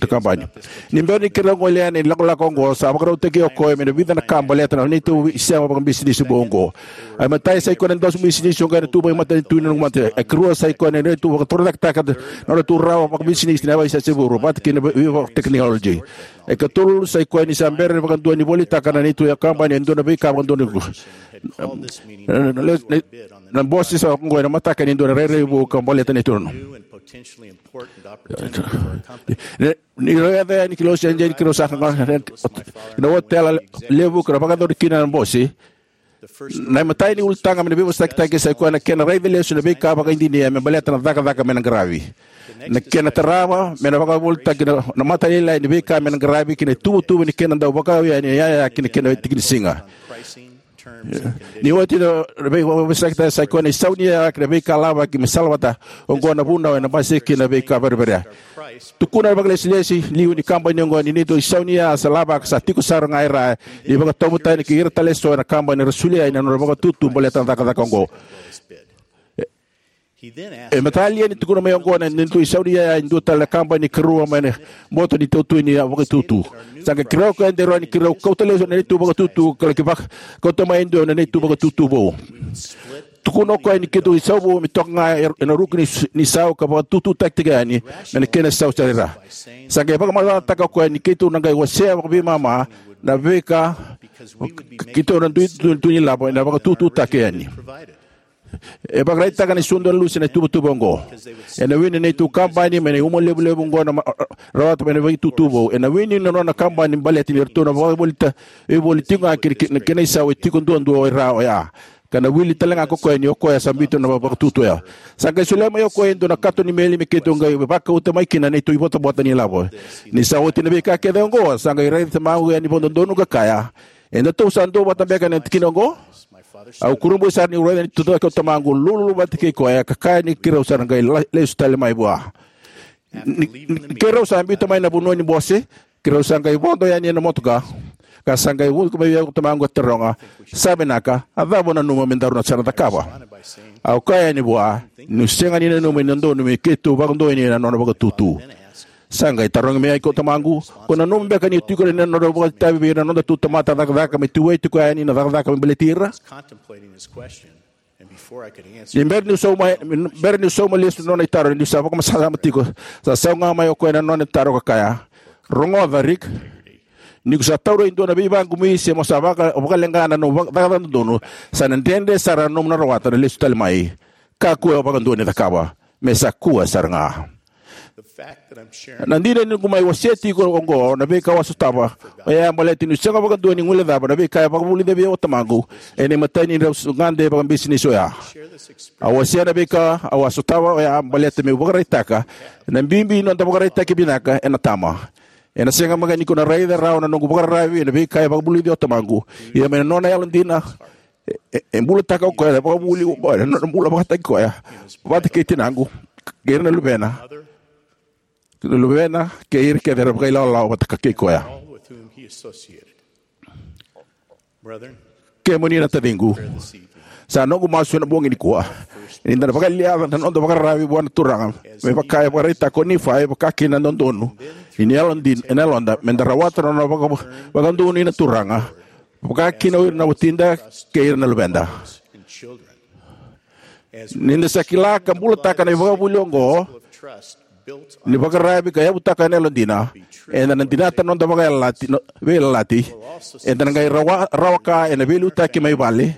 kabani. Ni bera ni keirau gole yani ena ilakolako oqo, sa vakarautaki o koya mai na vica na ka baleta na neitou isema vakabisinisi vou oqo. A imatai sa i koya na dosi bisinisi oqo ena tuba e matanitu ni noqu matanitu. A ikarua sa i koya na neitou vakatorocaketaka na nodratou rawa vakabisinisi na yavaisese vou vata kei na veiva technology. E katolu sa i koya ni sa bera vakadua ni volitaka na neitou kabani e dua na veika vakadua ni ku. Na, na, na, na bose sa oqo ena mataka ni dua na rairai vou ka baleta na itukutuku. Ni, ni raica yani ki Los Angeles, ki Los Angeles, na otela levu ka ra vakayacori kina na bose. Na imatai ni ulutaga mai na veivosakitaki sa i koya na kena raica lesu na veika vakaidina me baleta na cakacaka me na qaravi. Na kena tarava me na vakavolitaki na, na mata lailai ni veika me na qaravi kei na ituvatuva ni kena dau vakau yani na iyaya ki na kena tikinisiga. Ni oti na veivosakitaki sa i koya na isau ni iyaya kei na veika lavaki me salavata. Oqo na vunau ena basika kina na veika vereverea. Tukuna na vakailesilesi liu ni kabani oqo ni neitou isau ni iyaya sa lavaka sa tiko sara ga e ra, ni vakatauvatani kei ira tale eso ena kabani era solia yani na nodra vakatutu baleta na cakacaka oqo. E matata yani, tukuna mai oqo na neitou isau ni yaya e dua tale na kabani ni karua mai na boto ni tautui ni vakatutu. Sa qai kerea o koya e daru ni keirau kauta lesu na neitou vakatutu ka laki vaka, kauta mai e dua na neitou vakatutu vou. Tukuna o koya ni keitou isau vou me toka ga e, ena ruku ni, ni sau ka vakatututaki tiko yani mai na kena isau sara. Sa qai vakamacalataka o koya ni keitou na qai wasea vakaveimama na veika keitou na dui tu, tu ni lavo ena vakatututaki yani. E vakaraitaka na isau dua na lusi na ituvatuva oqo. Ena wini na neitou kabani mai na uma levulevu oqo na ma-, rawata mai na vakatutu vou. Ena wini na nona kabani baleta ni ratou na vakavolita, e voli tiko ga kei, kei, kei na isau e tiko duadua e ra oya. Ka na wili tale ga ko koya ni o koya sa biuta na vakatutu oya. Sa qai solia mai o koya e dua na kato ni meli me keitou qai vakauta mai kina na neitou ivotavota ni lavo. Ni sa oti na veika kece oqo, sa qai raici tamaqu yani vakadodonu ka kaya, "Edatou sa duavata beka ena tikina oqo?" Au kurabui sara niu raica ni tucake o tamaqu lululu vata kei koya ka kaya ni keirau sa na qai la-, lesu tale mai vua. Ni, ni keirau sa biuta mai na vanua ni bose, keirau sa qai vodo yani ena motoka. Ka sa qai vuka mai vei au ko tamaqu ka taroga, "Sa vinaka, a cava o nanuma me daru na sa na cakava?" Au kaya yani vua niu sega ni nanuma ni dodonu me keitou vakadonuya na nona vakatutu. Sa qai tarogi mai ko tamaqu, "Ko nanuma beka ni tiko na nona vakaitavi vei ira na nodatou tamata cakacaka me tuvai tiko yani na cakacaka me baleti ira?" Ni bera niu sauma, bera niu sauma lesu na nona itaro, niu sa vakamasamataka tiko, sa sau ga mai o koya na nona itaro ka kaya, "Rogoca, Rick. Ni ko sa taura e dua na veivaqumi se mo sa vaka, vakaleqa na nomu vaka, cakacaka dodonu, sa na dredre sara na nomu na rawata na lesu tale mai. Kakua vakadua ni cakava. Me sa kua sara ga." Na dina ni noqu mai wasea tiko oqo na veika au a sotava, oya baleta niu sega vakadua ni guilecava na veika e vakavulica vei au o tamaqu ena imatai ni drau gade vakabisinisi oya. Au wasea na veika au a sotava oya baleta meu vakaraitaka na bibi ni noda vakaraitaki vinaka ena tama. Ena sega mada ni ko na raica rawa na noqu vakararavi ena veika e vakavulici au o tamaqu. Ia mai na nona yalodina, e, e, e bulataka o koya na vakavuli oqo ena nona bula vakataki koya vata kei tinaqu, kei ira na luvena, na luvena, kei ira kece era vakailawalawa vata ka kei koya. Kemuni na taciqu, sa noqu masu ena bogi nikua ni da na vakaliaca na noda vakararavi vua na Turaga, me vaka e vakaraitaka ko Nifai, vaka kina na dodonu ni yalodina, ena yaloda, me da rawata na nona vaka, vakadonui na Turaga, vaka kina o ira na watida kei ira na luveda. Ni da sa kila ka bulataka na ivakavuvuli oqo ni vakararavi ka yavutaka na yalodina, eda na dinata na noda vakayalayalati, no, veiyalayalati. Eda na qai rawa, rawa ka ena veiliutaki mai vale,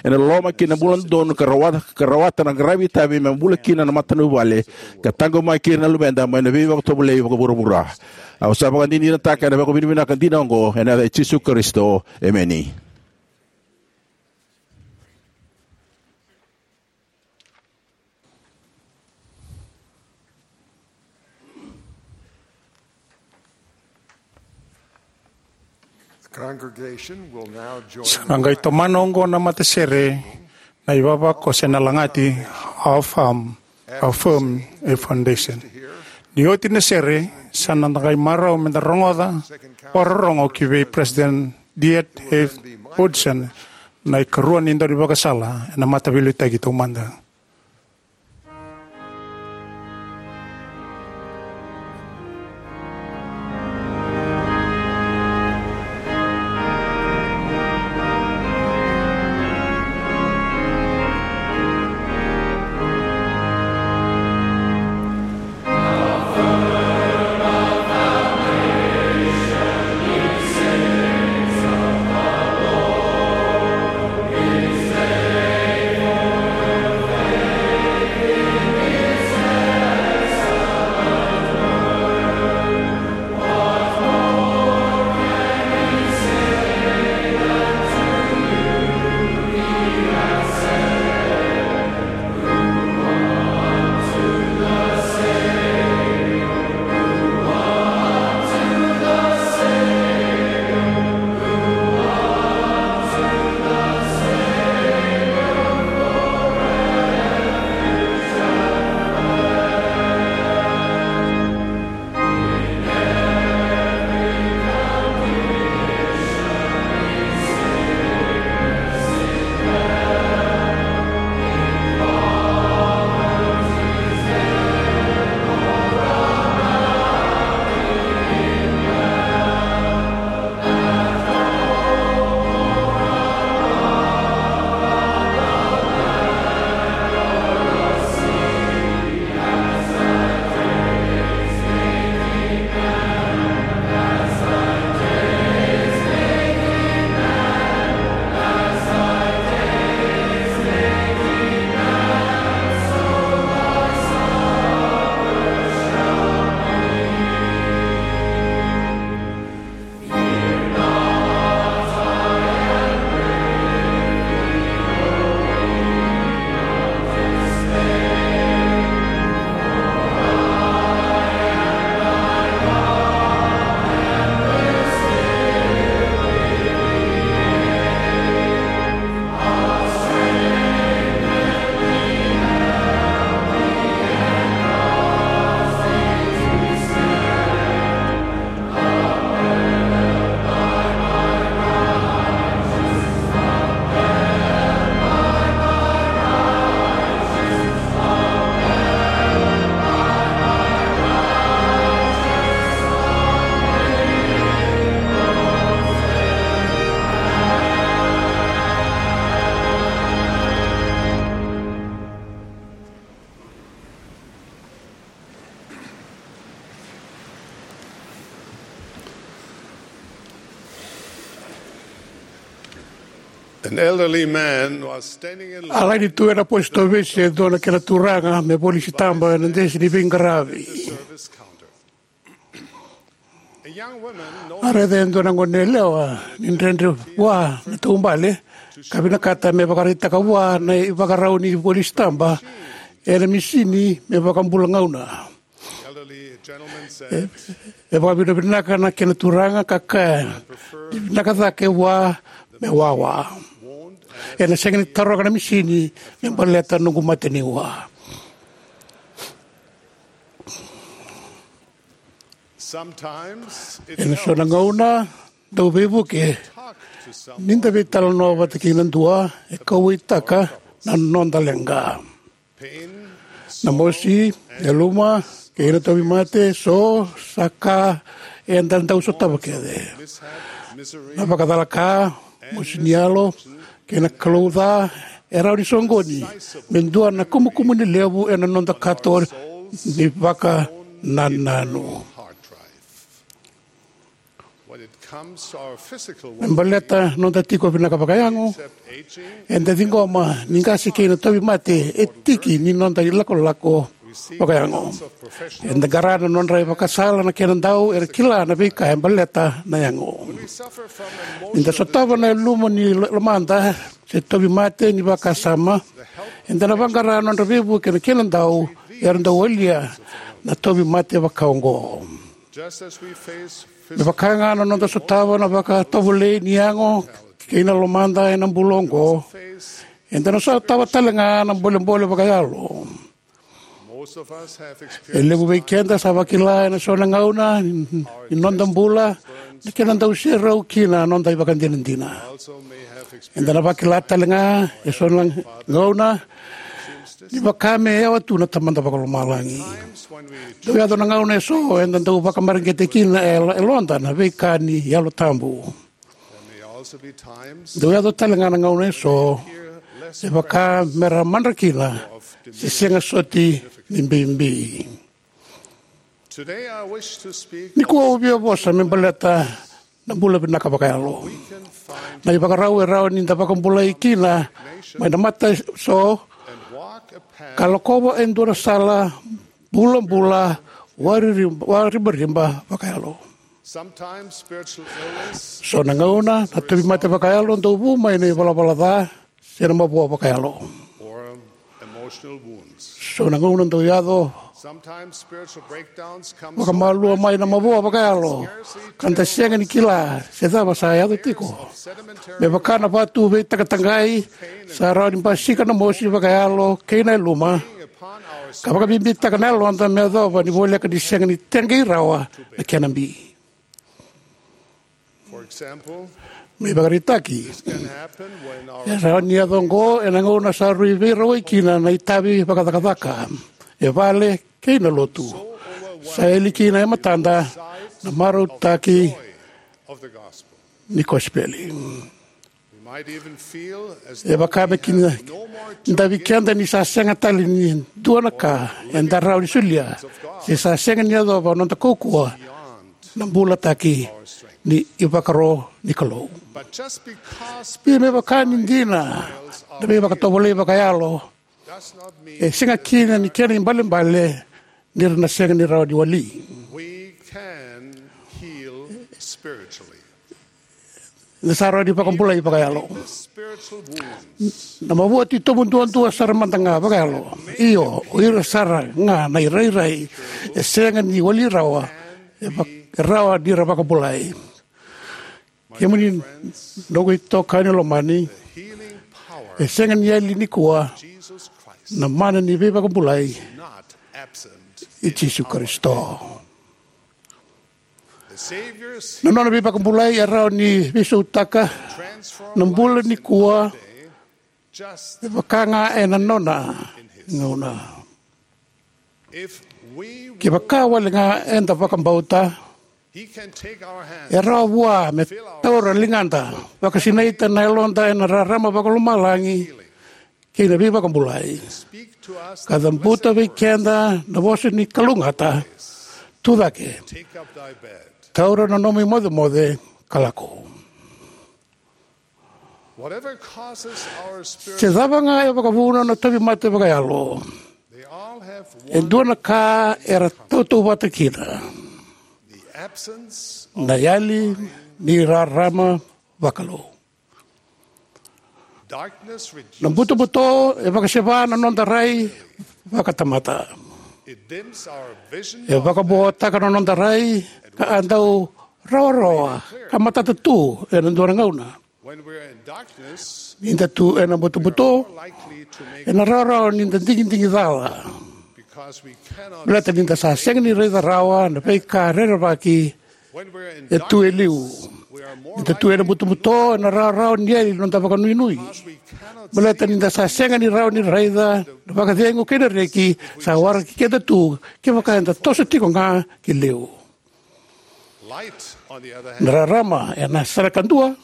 ena loloma kei na bula dodonu ka rawata, ka rawata na qaravi itavi me bula kina na matavuvale, ka taqomaki ira na luveda mai na veivakatovolei vakavuravura. Au sa vakadinadinataka ena vakavinavinaka dina oqo ena yaca i Jisu Karisito. Emeni. The congregation will now join. Sa na qai tomana oqo na matasere na ivavakoso ena lagati Affirm, Affirm a Foundation. Ni oti na sere, sa na qai marau me da rogoca vakarorogo ki vei President Dieter F. Woodson, na ikarua ni daunivakasala ena mataveiliutaki taumada. An elderly man was standing in line. A laini tu ena posi tovesi e dua na kena turaga me voli sitaba ena desi ni veiqaravi. Service counter. A raica e dua na gone yalewa ni dredre vua na taubale, ka vinakata me vakaraitaka vua na ivakarau ni voli sitaba ena misini me vakabula gauna. E, e vakavinavinaka na kena turaga ka kaya, "Ni vinaka cake vua me wawa. Ena sega ni taroga na misini me baleta noqu mate ni ua." Ena so na gauna dau veivuke ni da veitalanoa vata kei na dua e kauwaitaka na noda leqa. Na mosi, yaluma, kei na tauvimate, so sa ka eda dau sotava kece. Na vakacalaka, mosi ni yalo, kei na kalouca e rawa ni soqoni me dua na kumukumuni levu ena noda kato ni vakanananu. Me baleta noda tiko vinaka vakayago, eda ciqoma ni qase kei na tauvimate e tiki ni noda ilakolako vakayago. Eda qara na nodra ivakasala na kena dau era kila na veika e baleta na yago. Ni da sotava na yaluma ni lo-, lomada se tauvimate ni vakasama, eda na vaqara nodra veivuke na kena dau era dau walia na tauvimate vakaoqo. Me vaka ga na noda sotava na vakatovolei ni yago kei na lomada ena bula oqo, eda na sotava tale ga na bolebole vakayalo. E levu vei keda sa vakila ena so na gauna ni noda bula na kena dau serau kina na noda ivakadinadina. Eda na vakila tale ga e so na gauna ni vaka me yawa tu na Tamada Vakalomalagi. Dau yaco na gauna e so eda dau vakamareqeti kina e yaloda na veika ni Yalo Tabu. Dau yaco tale ga na gauna e so e vaka me ra madra kina se sega soti ni bibi. Nikua au via vosa me baleta na bula vinaka vakayalo. Na ivakarau e rawa ni da vakabulai kina mai na mata e so ka lakova e dua na sala bulabula wariri-, waribariba vakayalo. So na gauna na tauvimate vakayalo dau vu mai na ivalavala ca se na mavoa vakayalo. So na gauna dau yaco vakamalua mai na mavoa vakayalo ka da sega ni kila se cava sa yaco tiko. Me vaka na vatu veitaqataqai sa rawa ni basika na mosi vakayalo kei na yaluma ka vakabibitaka na yaloda me yacova ni voleka ni sega ni teqei rawa na kena bi. Me ivakaraitaki, e rawa ni yaco oqo ena gauna sa rui veirawai kina na itavi vakacakacaka e vale kei na lotu. Sa yali kina e matada na marautaki ni kosipeli. E vaka me kina davi keda ni sa sega tale ni dua na ka eda rawa ni solia se sa sega ni yacova noda kaukauwa na bulataki ni ivakaro ni Kalou. Ia me vaka ni dina na veivakatovolei vakayalo, e sega kina ni kena ibalebale ni ra na sega ni rawa ni wali. Eda sa rawa ni vakabulai vakayalo. Na mavoa titobu duadua sara mada ga vakayalo, io, o ira sara ga na irairai e sega ni wali rawa, e vak-, e rawa ni ra vakabulai. Kemuni noqu itokani lomani, e sega ni yali nikua na mana ni veivakabulai i Jisu Karisito. Na nona veivakabulai e rawa ni veisautaka na bula nikua, e vaka ga ena nona gauna. Kevaka wale ga eda vakabauta, e rawa vua me taura ligada, vakasinaita na yaloda ena rarama vakalomalagi kei na veivakabulai, ka cabuta vei keda na vosa ni kalougata: "Tucake, taura na nomu imocemoce ka lako." Se cava ga e vakavuna na tauvimate vakayalo, e dua na ka era tautauvata kina: na yali ni rarama vakalou. Na butobuto e vakaseva na noda rai vakatamata. E vakavoataka na noda rai ka a dau rawarawa ka matata tu ena dua na gauna. Ni da tu ena butobuto, ena rawarawa ni da digidigi cala, baleta ni da sa sega ni raica rawa na veika rerevaki e tu e liu. Ni da tu ena butobuto, ena rawarawa ni yali na noda vakanuinui, baleta ni da sa sega ni rawa ni raica na vakacegu kei na reki sa waraki keda tu kevaka eda toso tiko ga ki liu. Na rarama ena sala kadua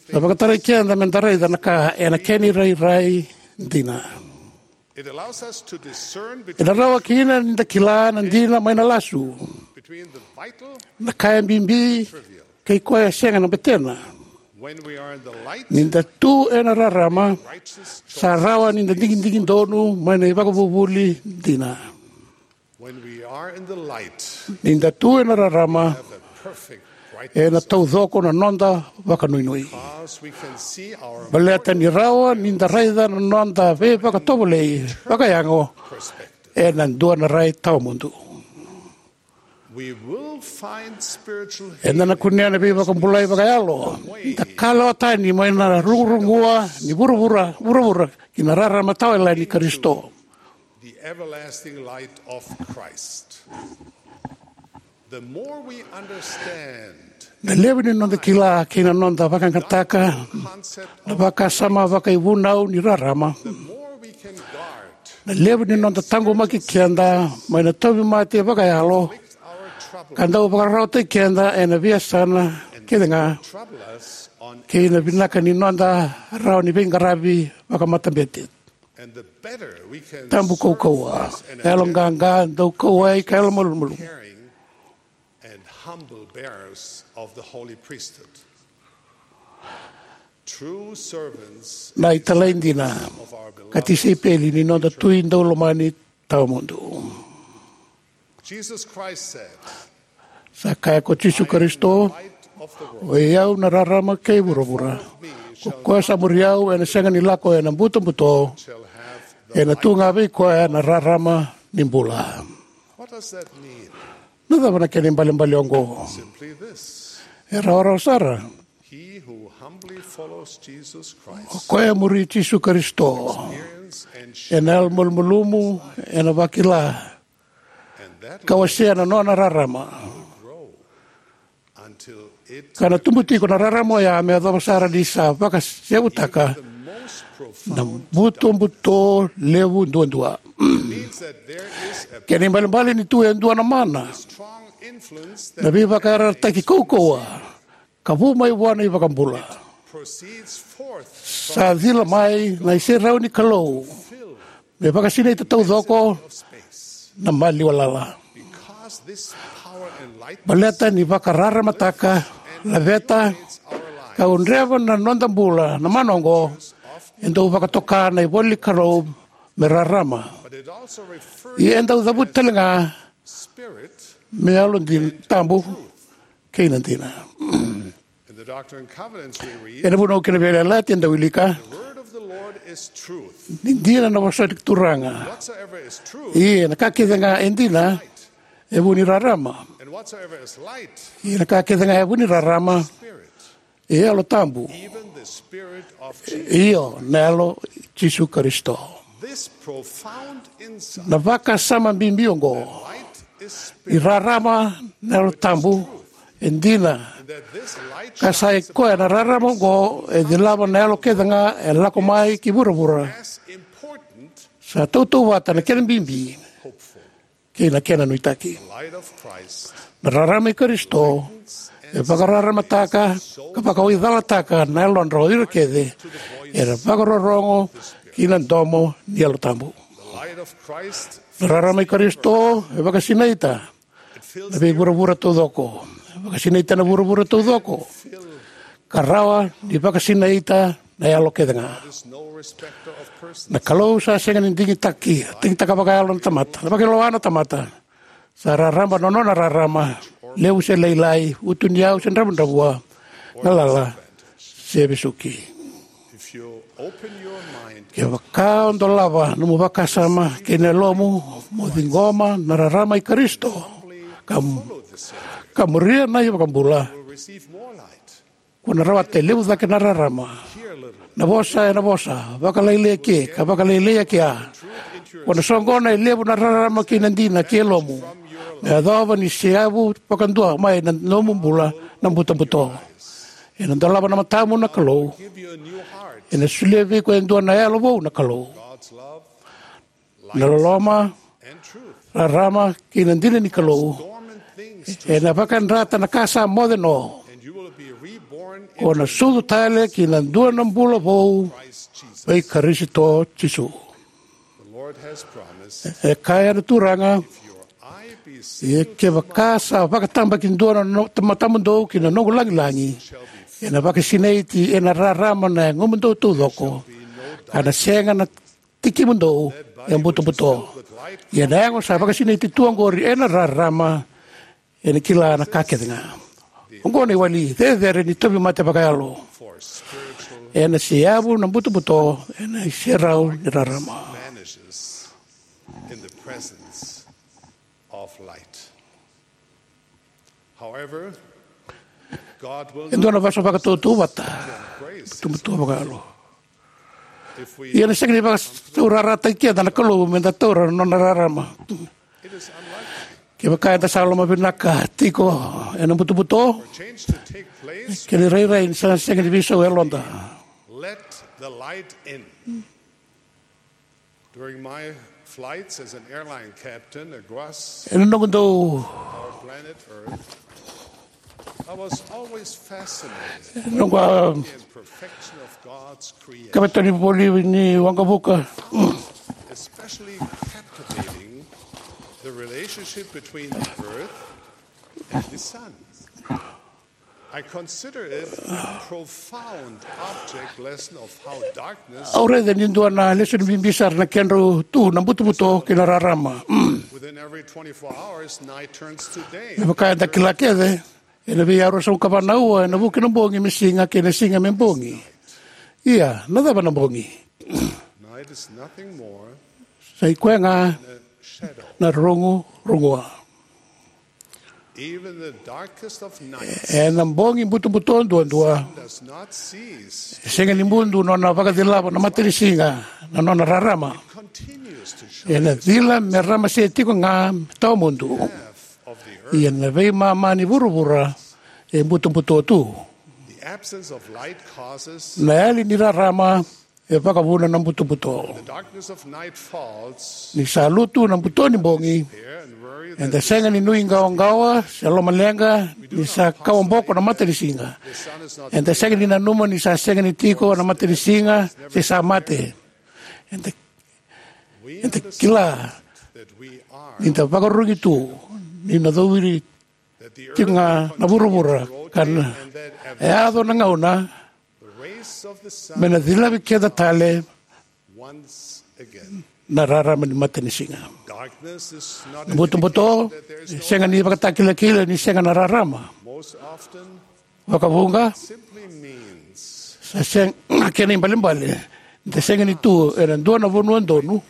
e vakatarai keda me da raica na ka ena kena irairai dina. Ena rawa kina ni da kila na dina mai na lasu, na ka e bibi kei koya e sega na betena. Ni da tu ena rarama, sa rawa ni da digidigi donu mai na ivakavuvuli dina. Ni da tu ena rarama, ena taucoko na noda vakanuinui, baleta ni rawa ni da raica na noda veivakatovolei vakayago ena dua na rai tawamudu. Eda na kunea na veivakabulai vakayalo ni da kalawa tani mai na rugurugua ni vuravura, vuravura ki na rarama tawayalani ni Karisito. The everlasting light of Christ. The more we understand Na levu ni noda kila kei na noda vakayagataka na vakasama vakaivunau ni rarama, the more we can guard na levu ni noda taqomaki keda mai na tauvimate vakayalo, our trouble ka dau vakararawataki keda ena veiyasana kece ga, trouble us on kei na vinaka ni noda rawa ni veiqaravi vakamatabete. And the better we can Tabu serve kaukauwa, as an yalo evangelical qaqa, dau kauwai ka yalo malumalumu. Caring and humble bearers of the holy priesthood. True servants Na italai dina of our beloved ka tisaipeli ni noda Tui daulomani tawamudu. Jesus Christ said, Sa kaya ko Jisu Karisito, "O i au na rarama kei vuravura. Ko koya sa muri au ena sega ni lako ena butobuto, ena tu ga vei koya na rarama ni bula." What does that mean? Na cava na kena ibalebale oqo? Simply this. E rawarawa sara. He who humbly follows Jesus Christ, o koya e muri Jisu Karisito, experience and share ena yalo malumalumu, ena vakila, and that ka wasea na nona rarama. Grow until it Ka na tubu tiko na rarama oya me yacova sara ni sa vakasevutaka even the most profound na butobuto levu duadua. Means that there is a Kena ibalebale ni tu e dua na mana, strong influence na that veivakayarayarataki kaukauwa ka vu mai vua na iVakabula. Proceeds forth from Sa cila mai na iserau ni Kalou me vakasinaita taucoko na maliwa lala. Because this power enlightens Baleta ni vakararamataka, laveta, our lives, ka udreva na noda bula na mana oqo, e dau vakatoka na ivola ni Kalou me rarama. But it also refers Ia e dau cavuti tale ga spirit me yalo dina, and tabu, truth. Kei na dina. In the Doctrine and Covenants we read, Ena Vunau kei na Veiyalayalati eda wilika, "The word of the Lord is truth. Ni dina na vosa ni Turaga. Whatsoever is truth, Ia na ka kece ga e dina, e vu ni rarama. And whatsoever is light, Ia na ka kece ga e vu ni rarama, spirit, e yalo tabu. Even the spirit of Jesus." Io, na yalo Jisu Karisito." This profound insight Na vakasama bibi oqo, that light is ni spirit, rarama na yalo tabu, e dina. That this light Ka sa i shines koya na upon rarama oqo e cilava na yalo kece ga e lako mai ki vuravura. As important Sa tautauvata na kena bibi hopeful. Kei na kena nuitaki. Light of Christ. Na rarama i Karisito e vakararamataka ka vakawaicalataka na yalodra o ira kece era vakarorogo ki na domo ni Yalo Tabu. The light of Christ Na rarama i Karisito e vakasinaita na veivuravura taucoko. E vakasinaita na vuravura taucoko. ka rawa ni vakasinaita na yalo kece ga. Na Kalou sa sega ni digitaki, digitaka vakayalo na tamata, na vakailoa na tamata. Sa rarama na nona rarama, levu se lailai, utuniyau se dravudravua, galala se vesuki. Kevaka o dolava nomu vakasama kei na yalomu mo ciqoma na rarama i Karisito, ka, ka muria na iVakabula, ko na rawata e levu cake na rarama. Na vosa ena vosa, vakalailai eke, ka vakalailai eke a. Ko na soqona e levu na rarama kei na dina ki yalomu. Me yacova ni seavu vakadua mai na nomu bula na butobuto. Ena dolava na matamu na Kalou. Ena solia vei iko e dua na yalo vou na Kalou. Na loloma, rarama kei na dina ni Kalou ena vakayadrata na ka sa moce no. Ko na sucu tale ki na dua na bula vou vei Karisito Jisu. E kaya na Turaga, ia kevaka sa vakatabakidua na no, matamudou ki na noqu lagilagi, ena vakasinaiti ena rarama na yagomudou taucoko, ka na sega na tikimudou e butobuto. Ia na yago sa vakasinaiti tu oqori ena rarama, ena kila na ka kece ga. Oqo na iwali cecere ni tauvimate vakayalo. Ena seavu na butobuto ena iserau ni rarama. E dua na vosa vakatautauvata, butobuto vakayalo. Ia na sega ni vakataurarataki keda na Kalou me da taura na nona rarama. Kevaka eda sa lomavinaka tiko ena butobuto, kena irairai ni sa sega ni veisau e yaloda. Ena noqu dau, noqu a, kavetani voli ni waqavuka. Au raica ni dua na lesoni bibi sara na kedrau tu na butobuto kei na rarama. Me vaka eda kila kece, ena vei aru sa uka vana ua ena vuki na bogi me siga kei na siga me bogi. Ia na cava na bogi? Sa i koya ga na rugu rugua. Ena bogi butobuto duadua, e sega ni mudu nona vakacilava na matanisiga na nona rarama. Ena cila me ramase tiko ga me tawamudu. Ia na veimama ni vuravura e butobuto tu. Na yali ni rarama e vakavuna na butobuto. Ni sa lutu na buto ni bogi, eda sega ni nuiqawaqawa se lomaleqa ni sa kawaboko na matanisiga. Eda sega ni nanuma ni sa sega ni tiko na matanisiga se sa mate. Eda, eda kila ni da vakarurugi tu, ni na cowiri tiko ga na vuravura, ka na yaco na gauna me na cilavi keda tale na rarama ni matanisiga. Na butobuto e sega ni ivakatakilakila ni sega na rarama. Vakavuqa, sa sega, kena ibalebale, da sega ni tu ena dua na vanua donu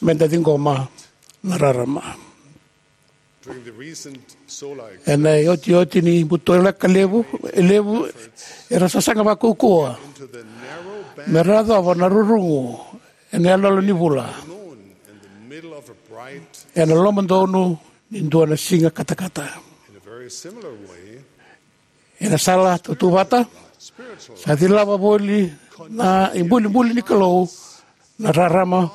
me da ciqoma na rarama. Ena iotioti ni butolaka levu, e levu era sasaga vakaukauwa me ra yacova na rurugu ena yaloyalo ni vula, ena lomadonu ni dua na siga katakata. Ena sala tautauvata, sa cilava voli na ibulibuli ni Kalou na rarama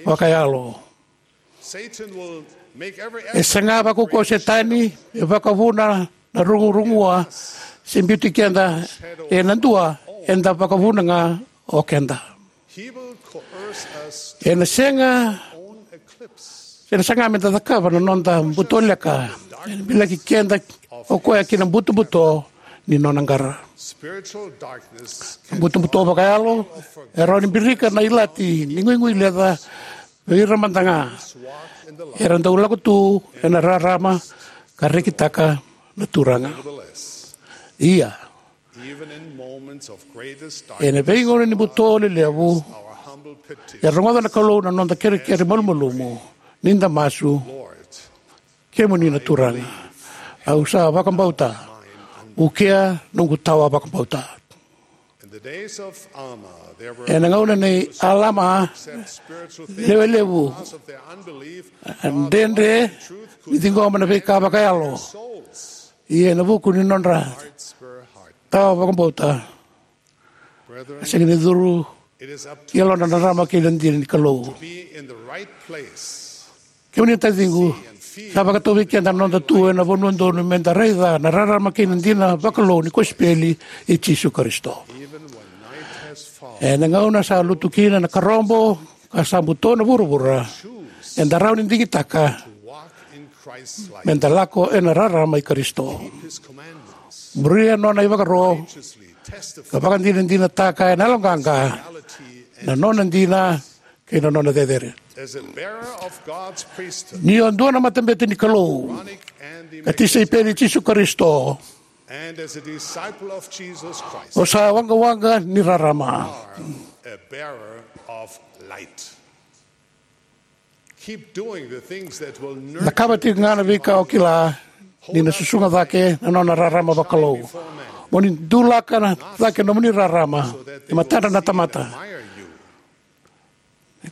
vakayalo. E saga vakaukauwa o Setani me vakavuna na rugurugua se biuti keda ena dua eda vakavuna ga o keda. Ena sega, ena saga me da cakava na noda butoleka, ena bilaki keda O koya ki na butobuto ni nona qara. Butobuto vakayalo e rawa ni birika na ilati ni guigui leca vei ira mada ga era dau lako tu ena rarama ka rekitaka na Turaga. Ia, ena veigauna ni buto lelevu, e rogoca na Kalou na noda kerekere malumalumu ni da masu: Kemuni na Turaga, au sa vakabauta, vukea noqu tawa vakabauta. Ena gauna nei Alama, lewe levu a dredre ni ciqoma na veika vakayalo. Ia ena vuku ni nodra tawa vakabauta, a sega ni curu ki yalodra na rarama kei na dina ni Kalou. Kemuni na taciqu, sa vakatau vei keda na noda tu ena vanua donu meda raica na rarama kei na dina vakalou ni kosipeli i Jisu Karisito. Ena gauna sa lutu kina na karobo ka sa buto na vuravura, eda rawa ni digitaka meda lako ena rarama i Karisito, muria nona ivakaro, ka vakadinadinataka ena yaloqaqa na nona dina kei na nona cecere. Ni o dua na matabete ni Kalou ka tisaipeli i Jisu Karisito, o sa waqawaqa ni rarama. Cakava tiko ga na veika o kila ni na susuga cake na nona rarama vakalou. Mo ni dulaka na cake nomuni rarama e matadra na tamata.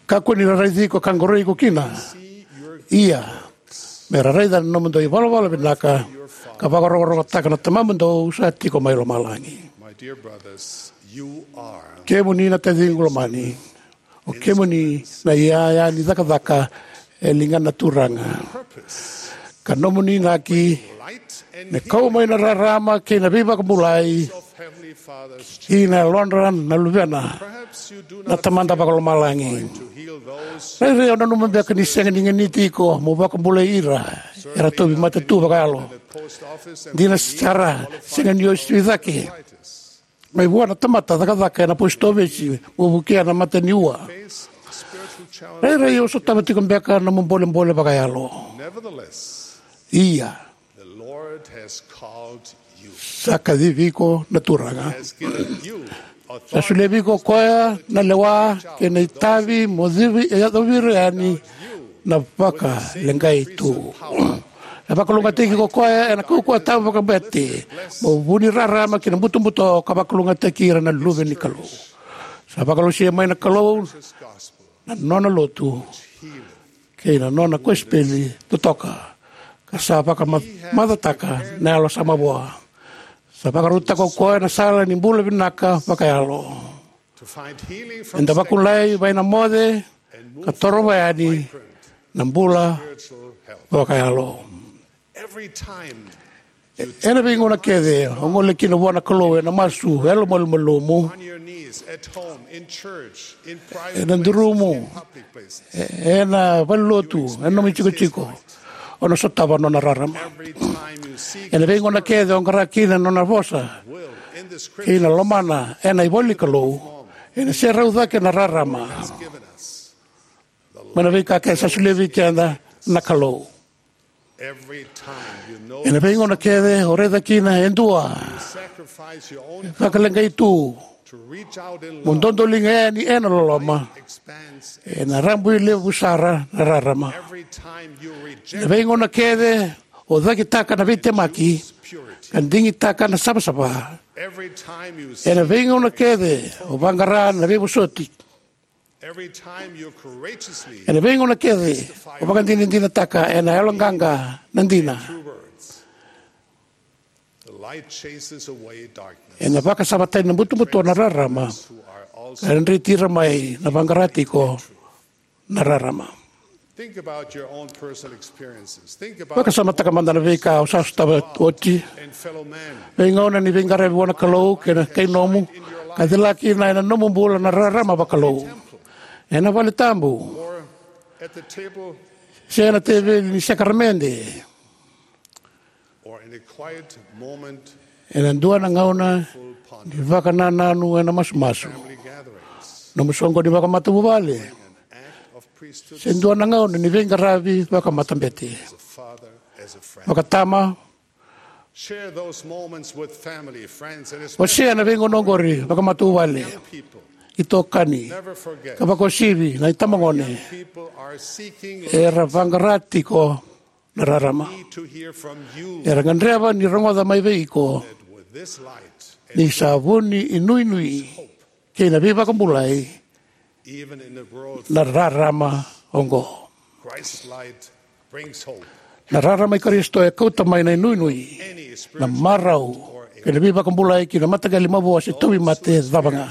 Kakua ni ra raici iko ka qoroi iko kina. Ia, me ra raica na nomudou ivalavala vinaka ka vakarokorokotaka na Tamamudou sa tiko mai lomalagi. Kemuni na taciqu lomani, o kemuni na iyaya ni cakacaka e ligana na Turaga, ka nomuni inaki me kau mai na rarama kei na veivakabulai ki na yalodra na luvena na Tamada vakalomalagi. Rairai o nanuma beka ni sega ni ganiti iko mo vakabulai ira era tauvimate tu vakayalo. Dina sara, sega ni o sui cake mai vua na tamata cakacaka ena posi tovesi mo vukea na mata ni ua. Rairai o sotava tiko beka na nomu bolebole vakayalo. Ia, sa kacivi iko na Turaga. Sa solia vei iko o koya na lewa kei na itavi mo civi e yacovi ira yani na vakaleqai tu. E vakalougatataki iko o koya ena kaukauwa tabu vakabete mo vu ni rarama ki na butobuto ka vakalougatataki ira na luve ni Kalou. Sa vakalolosia mai na Kalou na nona lotu kei na nona kosipeli totoka, ka sa vakamacataka na yalo sa mavoa. Sa vakarautaka o koya na sala ni bula vinaka vakayalo. Eda vakabulai mai na moce ka torova yani na bula vakayalo. Ena veigauna kece o gole kina vua na Kalou ena masu yalomalumalumu, ena durumu, ena valenilotu, ena nomu itikotiko, o na sotava na nona rarama. Ena veigauna kece o qara kina na nona vosa kei na lomana ena ivola ni Kalou, ena serau cake na rarama mai na veika kece sa solia vei keda na Kalou. Ena veigauna kece o raica kina e dua e vakaleqai tu mo dodoliga yani ena loloma, ena rabui levu sara na rarama. Ena veigauna kece o cakitaka na veitemaki ka digitaka na savasava. Ena veigauna kece o vaqara na veivosoti. Ena veigauna kece o vakadinadinataka ena yaloqaqa na dina. Ena vakasamataka na butobuto na rarama, ka dreti ira mai na vaqara tiko na rarama. Vakasamataka mada na veika o sa sotava oti. Veigauna ni veiqaravi vua na Kalou kei na kai nomu ka cila kina ena nomu bula na rarama vakalou. Ena vale tabu se ena teveli ni sakaramede. Ena dua na gauna ni vakanananu ena masumasu, nomu soqo ni vakamatavuvale, se dua na gauna ni veiqaravi vakamatabete. Vakatama, wasea na veigauna oqori vakamatavuvale, itokani, ka vakauasivi na itabagone era vaqara tiko na rarama. Era gadreva ni rogoca mai vei iko ni sa vu ni inuinui kei na veivakabulai na rarama oqo. Na rarama i Karisito e kauta mai na inuinui, na marau, kei na veivakabulai ki na mataqali mavoa se tauvimate cava ga.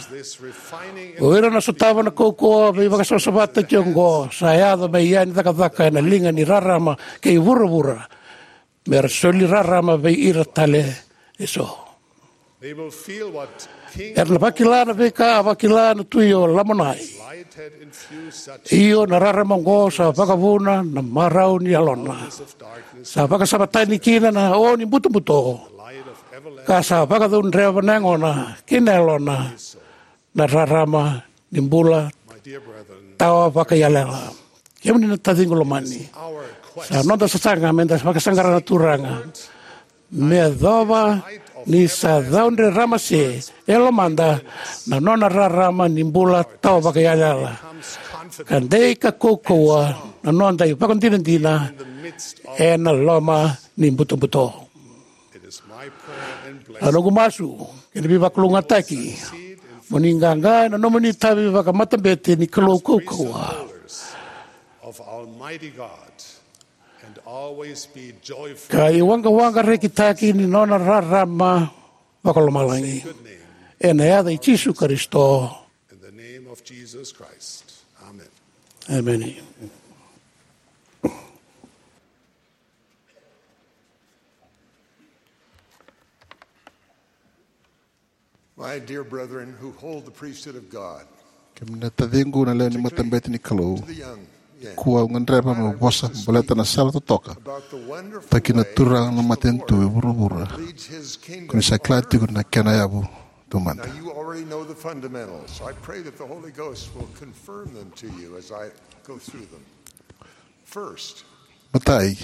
O ira na sotava na kaukauwa veivakasavasavataki oqo sa yaco mai yani cakacaka ena liga ni rarama kei vuravura, me ra soli rarama vei ira tale eso. Era na vakila na veika a vakila na tui o Lamonai. Io, na rarama oqo sa vakavuna na marau ni yalona. Sa vakasavatani kina na o ni butobuto, ka sa vakacaudreva na yagona kei na yalona na rarama ni bula tawa vakaiyalayala. Kemuni na taciqu lomani, sa noda sasaga meda vakasaqara na Turaga me yacova ni sa caudre ramase e lomada na nona rarama ni bula tawa vakaiyalayala, ka dei ka kaukauwa na noda ivakadinadina ena loma ni butobuto. A noqu masu kei na veivakalougatataki mo ni qaqa ena nomuni itavi vakamatabete ni Kalou kaukauwa, ka iwaqawaqa rekitaki ni nona rarama vakalomalagi. Ena yaca i Jisu Karisito, emeni. My dear brethren who hold the priesthood of God, kemuni na taciqu na lewe ni matabete ni Kalou, the young, yeah, kua au gadreva meu vosa baleta na sala totoka, about the wonderful, taki na Turaga na matanitu e vuravura, leads his kingdom, ko ni sa kila tiko na kena yavu taumada. Now, you already know the fundamentals. I pray that the Holy Ghost will confirm them to you as I go through them. First, matai,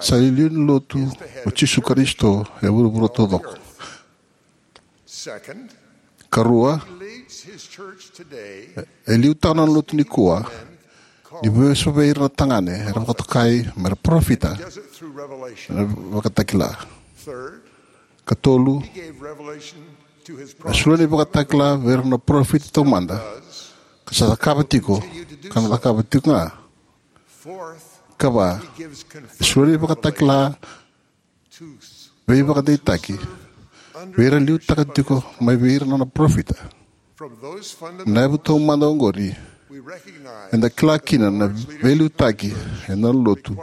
sa iliuliu ni lotu o Jisu Karisito e vuravura taucoko. Karua, e liutaka na lotu nikua ni veiso vei ira na tagane era vakatokai me ra parofita, na Vakatakila. Katolu, e solia na ivakatakila vei ira na parofita taumada, ka sa cakava tiko, ka na cakava tiko ga. Kava, e solia na ivakatakila veivakadeitaki vei ira liutaka tiko mai vei ira na nona parofita. Na yavu taumada oqori, eda kila kina na veiliutaki ena lotu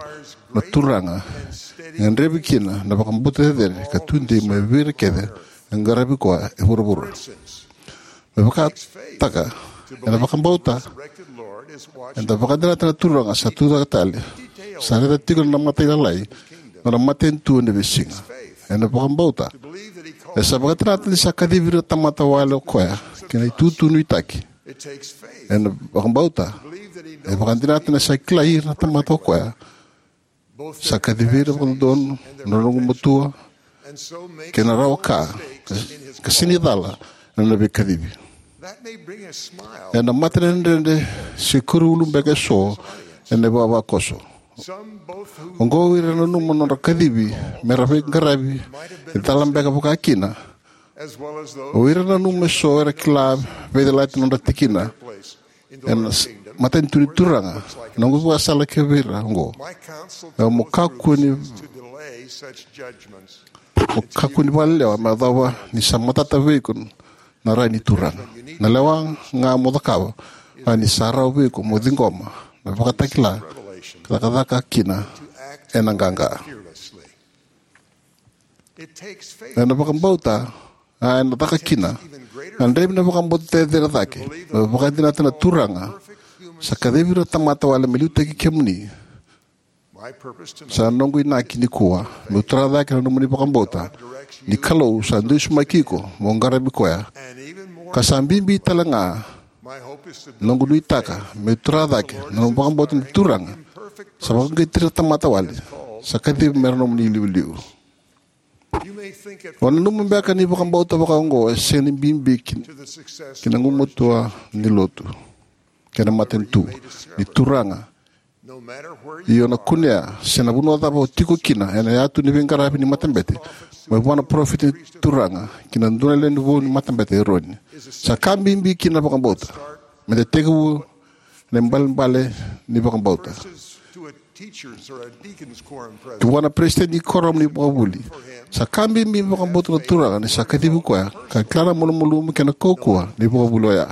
na Turaga e gadrevi kina na vakabauta cecere ka tudei mai vei ira kece e qaravi koya e vuravura. Me vakataka, ena vakabauta eda vakadinata na Turaga sa tucake tale, sa raica tiko na mata ilalai, na nona matanitu ena veisiga. Ena vakabauta, e sa vakadinata ni sa kacivi ira na tamata wale o koya ki na itutu nuitaki. Ena vakabauta, e vakadinata ni sa kilai ira na tamata o koya, sa kacivi ira vakadodonu na nona gugumatua kei na rawa ka, ka sega ni cala ena nona veikacivi. Ena mata ni dredre se kuri ulu beka eso ena ivavakoso. Oqo o ira nanuma na nodra kacivi me ra veiqaravi e cala beka vaka kina. O ira nanuma eso era kila veicalati na nodra tikina ena s-, matanitu ni Turaga. Na noqu ivakasala kivei ira oqo, e mo kakua ni, mo kakua ni vakalelewa me yacova ni sa matata vei iko na rai ni Turaga. Na lewa ga mo cakava, a ni sa rawa vei iko mo ciqoma na Vakatakila ka cakacaka kina ena qaqa. Ena vakabauta, a ena caka kina, a gadrevi na vakabauta cecere cake, me vakadinata na Turaga sa kacivi ira na tamata wale me liutaki kemuni. Sa noqu inaki nikua meu tara cake na nomuni vakabauta ni Kalou sa dusimaki iko mo qaravi koya. Ka sa bibi tale ga, noqu nuitaka meu tara cake na nomu vakabauta ni Turaga sa vakaqaqacotira na tamata wale sa kacivi me ra nomuni iliuliu. O nanuma beka ni vakabauta vakaoqo e sega ni bibi ki, ki na gumatua ni lotu kei na matanitu ni Turaga. Io, na kunea se na vanua cava o tiko kina ena yatu ni veiqaravi ni matabete, mai vua na parofita ni Turaga ki na dua na lewe ni vou ni matabete, Eroni. Sa ka bibi kina na vakabauta. Me da tekivu na ibalebale ni vakabauta. Ki vua na peresitedi ni kuoramu ni vakavuli. Sa ka bibi me vakabauta na Turaga ni sa kacivi koya ka kila na malumalumu kei na kaukauwa ni vakavuli oya.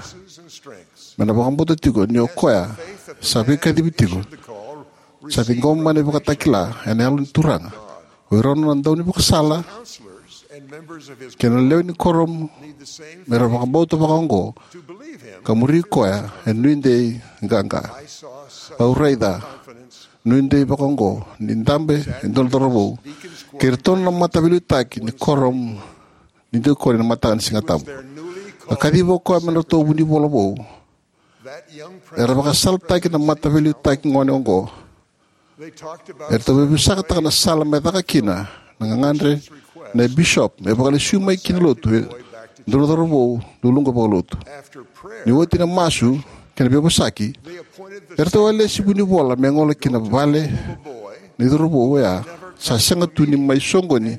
Me na vakabauta tiko ni o koya sa veikacivi tiko sa ciqoma mai na ivakatakila ena Yalo ni Turaga. O ira na nona daunivakasala kei na lewe ni kuoramu me ra vakabauta vakaoqo ka muri koya e nuidei qaqa. Au raica nuidei vakaoqo ni dabe e dua na cauravou kei iratou na mataveiliutaki ni kuoramu ni dikoni ena mataka ni Sigatabu. A kacivi o koya me nodratou vunivola vou. Era vakasalataki na mataveiliutaki gone oqo. Eratou veiveisakataka na sala me caka kina na gagadre nei bishop me vakalesui mai ki na lotu e dua na cauravou luluqa vakalotu. Ni oti na masu kei na veivosaki, eratou a lesi vunivola me gole ki na vale ni cauravou oya sa sega tu ni mai soqoni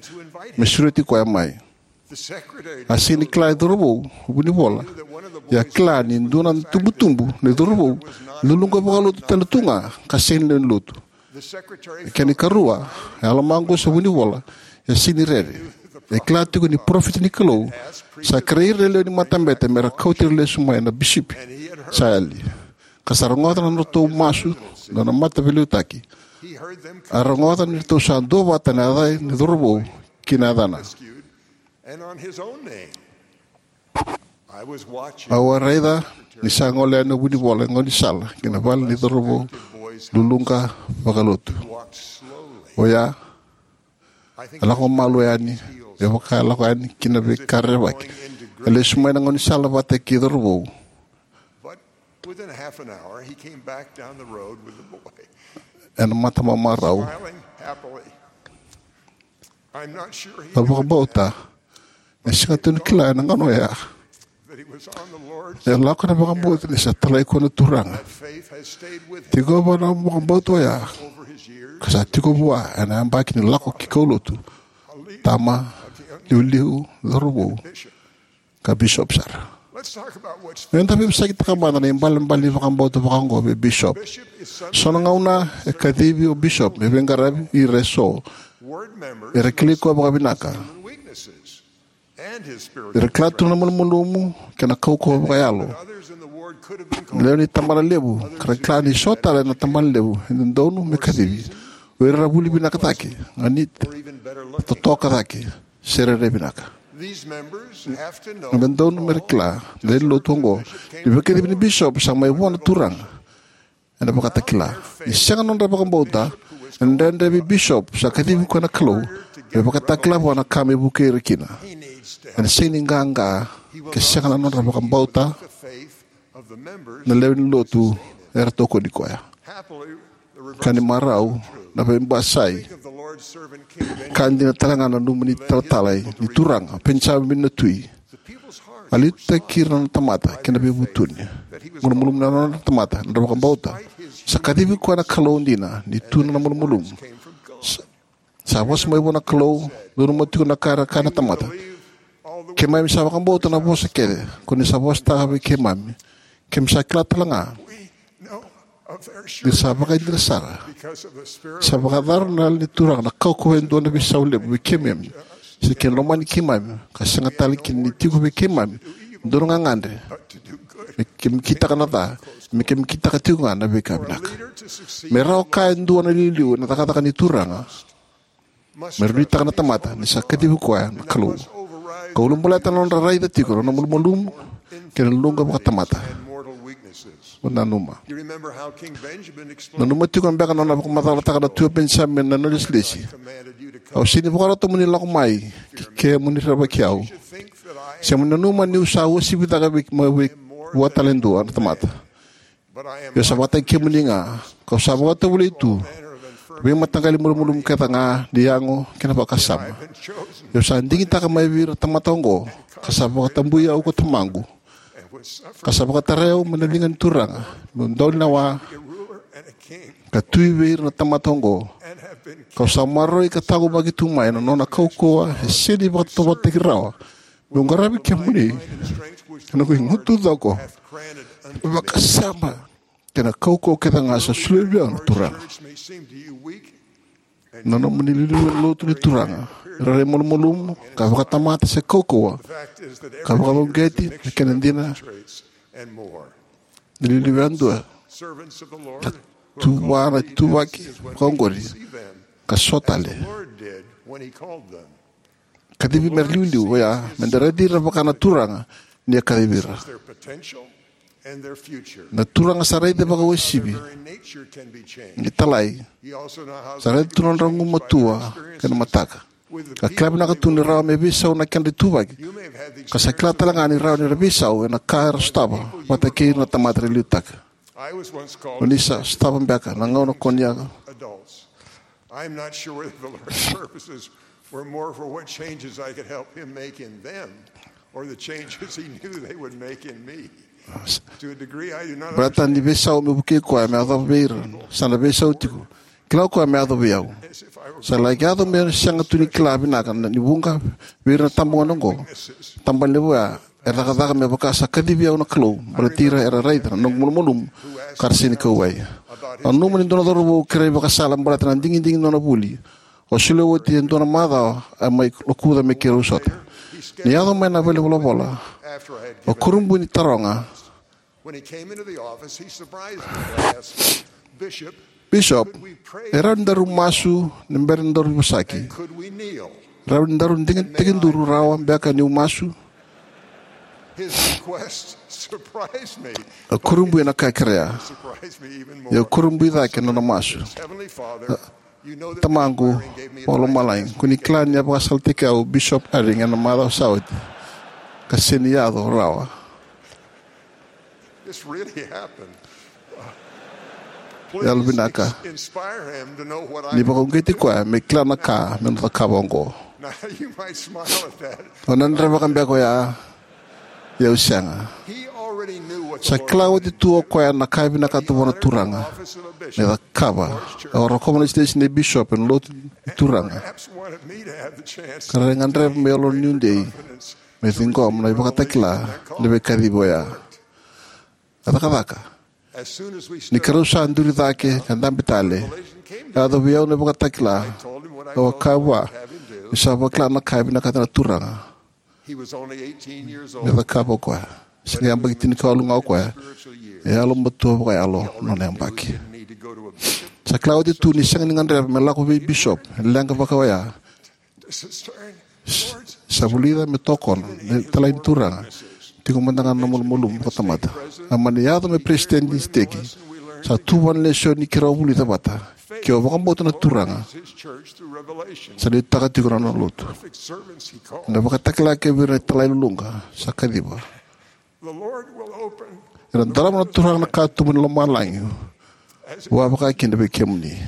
me sureti koya mai. A sega ni kila e cauravou vunivola, ia a kila ni dua na tubutubu ni cauravou luluqa vakalotu tale tu ga ka sega ni lewe ni lotu. E kena ikarua, e a lomaqu sa vunivola, e sega ni rere. E kila tiko ni parofita ni Kalou sa kerei ira na lewe ni matabete me ra kauti ira lesu mai na bisipi. Sa yali ka sa rogoca na nodratou masu na nona mataveiliutaki. A rogoca ni ratou sa duavata na yaca ni cauravou ki na yacana. Au a raica ni sa gole yani na vunivola e gaunisala ki na vale ni cauravou luluqa vakalotu. Oya a lako malua yani, e vaka e lako yani ki na veika rerevaki. E lesu mai na gaunisala vata kei cauravou. Ena matamamarau, na vakabauta e sega tu ni kila ena gauna oya. E lako na vakabauta ni sa talai koya na Turaga. Tiko vua na vakabauta oya ka sa tiko vua ena yabaki ni lako ki kaulotu, tama, liuliu, cauravou, ka bishop sara. Me da veivosakitaka mada na ibalebale ni vakabauta vakaoqo vei bishop. So na gauna e kacivi o bishop me veiqaravi ira eso era kilai koya vakavinaka. Era kila tu na malumalumu kei na kaukauwa vakayalo. Na lewe ni tabana levu ka ra kila ni so tale na tabana levu e dodonu me kacivi. O ira era vuli vinaka cake, ganita, totoka cake, se rairai vinaka. E dodonu me ra kila na lewe ni lotu oqo ni veikacivi ni bishop sa mai vua na Turaga. Ena vakatakila ni sega na nodra vakabauta, ena dredre vei bishop sa kacivi koya na Kalou me vakatakila vua na ka me vukei ira kina. Ena sega ni qaqa ke sega na nodra vakabauta na lewe ni lotu era tokoni koya. Ka ni marau na veibasai. Ka dina tale ga na nomuni talatala ni Turaga Penijamini na Tui. A liutaki ira na tamata kei na veivutuni. Malumalumu na nodra tamata, na nodra vakabauta. Sa kacivi koya na Kalou dina ni tu na malumalumu. Sa, sa vosa mai vua na Kalou, nanuma tiko na ka era kaya na tamata. Keimami sa vakabauta na vosa kece ko ni sa vosataka vei keimami. Keimami sa kila tale ga ni sa vakaidina sara. Sa vakayacora na Yalo ni Turaga na kaukauwa e dua na veisau levu vei keimami, se kena lomani keimami, ka sega tale kina ni tiko vei keimami dua na gagadre me keimami kitaka na ca, me keimami kitaka tiko ga na veika vinaka. Me rawa ka e dua na iliuliu ena cakacaka ni Turaga, me ra nuitaka na tamata ni sa kacivi koya na Kalou. Ka ulabaleta na nodra raica tiko na nona malumalumu kei na luqa vakatamata. Mo nanuma. Nanuma tiko beka na nona vakamacalataka na Tui o Penijamini na nona ilesilesi: Au sega ni vakarota mo ni lako mai ke ke mo ni rerevaki au, se mo ni nanuma ni'u sa uasivi cake vei, mai vei, vua tale e dua na tamata. Ia au sa vakataki kemuni ga, ka'u sa vakatovolei tu vei mataqali malumalumu kece ga ni yago kei na vakasama. Ia au sa digitaka mai vei ira na tamata oqo, ka sa vakatabui au ko Tamaqu, ka sa vakatarai au mai na liga ni Turaga me'u dau lewa ka tui vei ira na tamata oqo. Ka'u sa maroroi ka taqomaki tu mai na nona kaukauwa e sega ni vakatovolitaki rawa me'u qaravi kemuni ena noqu igutu coko, vakasama kei na kaukauwa kece ga sa solia vei au na Turaga. Na nomuni liuliu ena lotu ni Turaga e rairai malumalumu ka vakatamata se kaukauwa, ka vakauqeti na kena dina. Ni liuliu yadua, ka tu vua na ituvaki vakaoqori, ka so tale. Kacivi me ra liuliu oya, me da raici ira vaka na Turaga ni a kacivi ira. Na Turaga sa raica vakauasivi, italai. Sa raica tu na nodra gumatua kei na mataka. Ka kila vinaka tu ni rawa me veisau na kedra ituvaki. Ka sa kila tale ga ni rawa ni ra veisau ena ka era sotava vata kei ira na tamata era liutaka. O ni sa sotava beka na gauna ko ni a I'm not sure whether the Lord's purposes were more for what changes I could help him make in them or the changes he knew they would make in me. To a degree I do not Baleta ni veisau meu vukei koya me yacova vei ira, sa na veisau tiko. Kila o koya me yaco vei au. Sa laki yaco meu sega tu ni kila vinaka na ni vuqa vei ira na tabagone oqo. Tabana levu oya e cakacaka me vaka sa kacivi au na Kalou, baleti ira era raica na noqu malumalumu ka ra sega ni kauwai. Au nanuma ni dua na cauravou kerei vakasala baleta na digidigi ni nona vuli. Au solia oti e dua na macawa, a mai lokuca me keirau sota. Ni yaco mai na valenivolavola, au kurabui ni taroga, When he came into the office, he surprised me by asking, Bishop, Bishop, could we pray e rawa ni daru masu ni bera ni daru vosaki? And could we kneel? Rawa ni daru digi tekiduru rawa beka niu masu? His request surprised me. Au kurabui na ka e kerea. Surprised me even more. Ia au kurabui cake na nona masu. Heavenly Father, Tamaqu vakalomalagi, ko ni kila ni a vakasalataki au o Bishop Eyring ena macawa sa oti, ka sega ni yaco rawa. This really happened. Yalovinaka. Inspire him to know what I ni vakauqeti koya me kila na ka me na cakava oqo. Now, you might smile at that. O na drevaka beka oya, ia au sega. He already knew what the Sa kila Lord oti tu o koya na ka e vinakata vua na Turaga me cakava. Au rokova na sitesini ni bishop ena lotu ni Turaga. Perhaps wanted me to have the chance ka ra gadreva me yalo niu dei confidence me ciqoma na ivakatakila ni veikacivi oya. A cakacaka. As soon as we Ni stood karau sa duri cake ka dabe tale, a yaco vei au na ivakatakila. Au a kaya vua ni sa vakila na ka e vinakata na Turaga. He was only eighteen years old. Me cakava o koya. Sega yabaki tinikawalu ga o koya. E yalomatua vakayalo na nona yabaki. Sa kila oti tu ni sega ni gadreva me lako vei bishop e leqa vaka oya. Sa vulica me tokona na italai ni Turaga. Tiko mada ga na malumalumu vakatamata. A mani yaco me peresitedi ni siteki. Sa tu vua na lesoni keirau vulica vata. Ke o vakabauta na Turaga, sa liutaka tiko na nona lotu. Na vakatakila kei vei ira na italai luluqa sa kaciva. Ena darava na Turaga na katuba ni lomalagi. Vua vaka kina vei kemuni.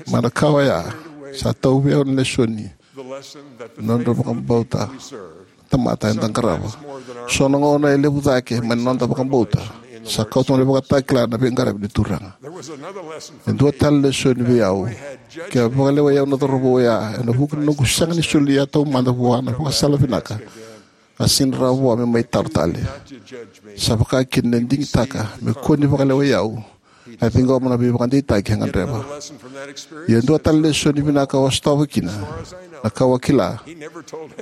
Mai na ka oya, sa tauvi au na lesoni. Nodra vakabauta tamata eda qarava. So na gauna e levu cake mai na noda vakabauta. Sa kauta na ivakatakila na veiqaravi ni Turaga. E dua tale lesoni vei au. Ke a vakalewai au na cauravou oya ena vuku ni noqu sega ni solia taumada vua na vakasala vinaka, a sega ni rawa vua me mai talo tale. Sa vaka kina na digitaka me kua ni vakalewai au A ciqoma na veivakadeitaki e gadreva. Ia e dua tale na lesoni vinaka au a sotava kina, na ka au a kila,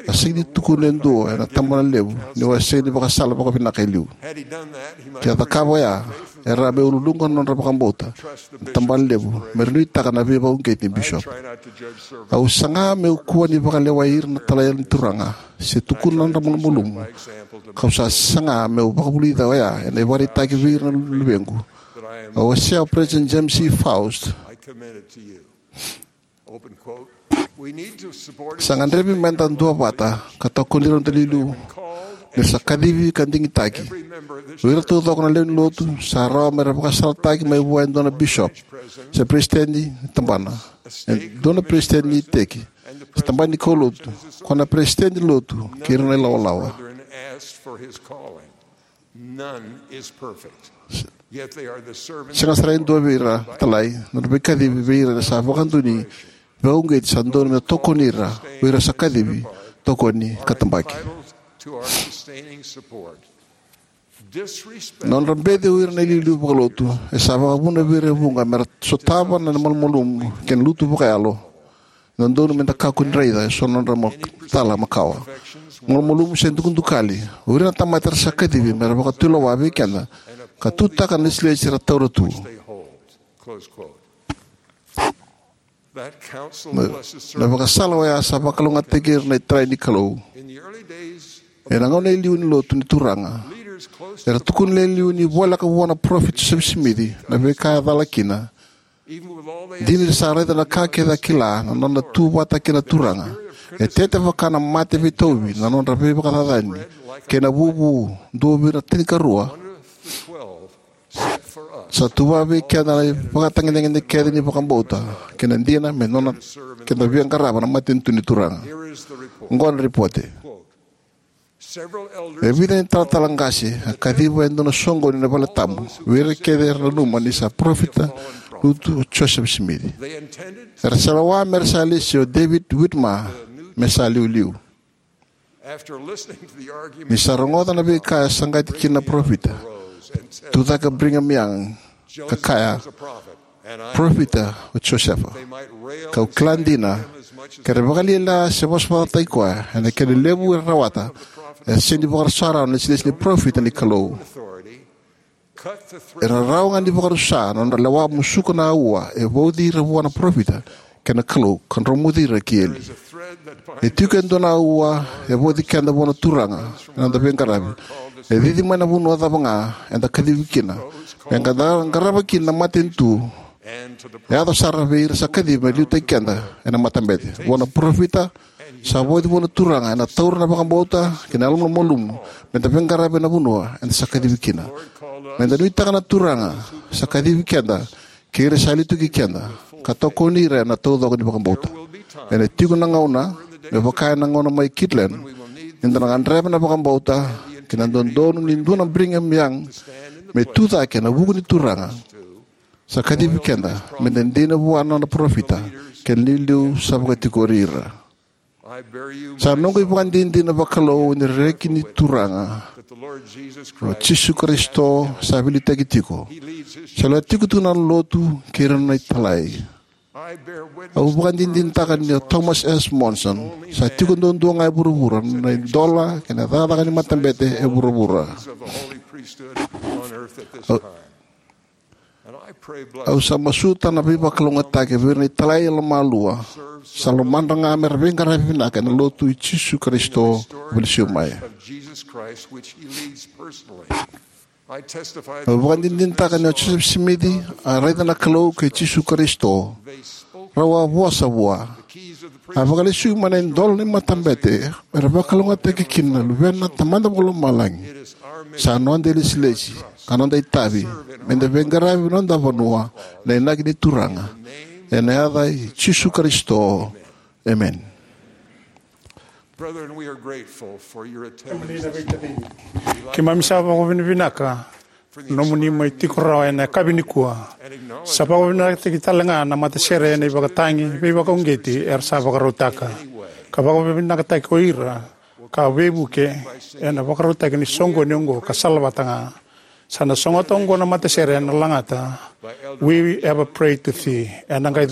a sega ni tukuna e dua ena tabana levu ni au a sega ni vakasala vakavinaka e liu. Ke a cakava oya, era a mai ululuqa na nodra vakabauta na tabana levu me ra nuitaka na veivakauqeti ni bisopi. Au saga meu kua ni vakalewai ira na talai ni Turaga se tukuna na nodra malumalumu. Kau sa saga meu vakavulica oya ena ivakaraitaki vei ira na luvequ. Au wasea o President James E. Faust. Sa gadrevi meda duavata ka tokoni ira na noda iliuliu ni ra sa kacivi ka digitaki. O ira taucoko na lewe ni lotu sa rawa me ra vakasalataki mai vua e dua na bisopi se peresitedi ni tabana, e dua na peresitedi ni iteki se tabana ni kaulotu, ko na peresitedi ni lotu kei ira na ilawalawa. Sega sara e dua vei ira talai na nodra veikacivi vei ira era sa vakadonui veivakauqeti sa dodonu meda tokoni ira, o ira sa kacivi, tokoni ka tabaki. Na nodra beci o ira na iliuliu vakalotu e sa vakavuna vei ira e vuqa me ra sotava na malumalumu kei na lutu vakayalo. Dodonu meda kakua ni raica eso na nodra ma-, cala makawa, malumalumu se dukadukali. O ira na tamata era sa kacivi me ra vakatulewa vei keda ka tutaka na lesilesi era taura tu. Na, na vakasala oya sa vakalougatataki ira na italai ni Kalou. Ena gauna e liu ni lotu ni Turaga, era tukuna e liu ni voleka vua na parofita Josefa Simici na veika e cala kina. Dina ni ra sa raica na ka kece a kila, na nona tu vata kei na Turaga, e tete vaka na mate veitauvi na nodra veivakacacani kei na vuvu. Dua vei ira na tinikarua sa tu vata vei keda na ivakatagedegede kece ni vakabauta kei na dina me nona keda via qarava na matanitu ni Turaga. Oqo na ripote. E vica na italatala qase a kaciva e dua na soqoni ena valetabu vei ira kece era nanuma ni sa parofita lutu o Josefa Simici. Era sa lewa me ra sa lesi o David Whitmer me sa liuliu. Ni sa rogoca na veika e saqati kina na parofita, tucake o Brigham Young ka kaya, "Parofita o Josefa, kau kila dina, ke ra vakalialia se vosavosataki koya ena kena levu era rawata, e sega ni vakarusa rawa na lesilesi ni parofita ni Kalou." Era rawa ga ni vakarusa na nodra lewa, musuka na aua e vauci ira vua na parofita kei na Kalou ka dromuci ira ki eli. E tiko e dua na aua e vauci keda vua na Turaga ena noda veiqaravi. E cici mai na vanua cava ga eda kacivi kina, me da qarava kina na matanitu. E yaco sara vei ira sa kacivi me liutaki keda ena matabete. Vua na parofita, sa vauci vua na Turaga ena taura na vakabauta kei na yalomalumalumu me da veiqaravi ena vanua eda sa kacivi kina. Me da nuitaka na Turaga sa kacivi keda kei ira sa liutaki keda, ka tokoni ira ena taucoko ni vakabauta. Ena tiko na gauna, me vaka ena gauna mai Kirtland, ni da na gadreva na vakabauta kei na dodonu ni dua na Brigham Young me tucake ena vuku ni Turaga sa kacivi keda, me da dina vua na nona parofita kei na iliuliu sa vakatikori ira. Sa noqu ivakadinadina vakalou ni reki ni Turaga, o Jisu Karisito, sa veiliutaki tiko. Sa lewe tiko tu na lotu kei ira na italai. Au vakadinadinataka ni o Thomas S. Monson sa tiko duadua ga e vuravura na idola kei na cakacaka ni matabete e vuravura. Au, au sa masuta na veivakalougatataki vei ira na italai yalomalua sa lomadra ga me ra veiqaravi vinaka ena lotu i Jisu Karisito e vakalesui mai. Au vakadinadinataka ni o Josefa Simici a raica na Kalou kei Jisu Karisito. Rau a vosa vua. A vakalesui mai na idola ni matabete me ra vakalougatataki kina na Luvena na Tamada Vakalomalagi. Sa noda ilesilesi ka noda itavi me da veiqaravi na noda vanua ena inaki ni Turaga. Ena yaca i Jisu Karisito. Emeni. Brethren, we are grateful for your attendance. Keimami sa vakavinavinaka nomuni mai tiko rawa ena yakavi nikua. Sa vakavinavinakataki tale ga na matasere ena ivakatagi veivakauqeti era sa vakarautaka, ka vakavinavinakataki ko ira ka veivuke ena vakarautaki ni soqoni oqo ka salavata ga. Sa na sogota oqo na matasere ena lagata We Ever Prayed to Thee. Ena qai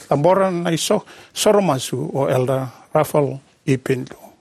cabora na isoro masu o Elder Raphael E. Pinto.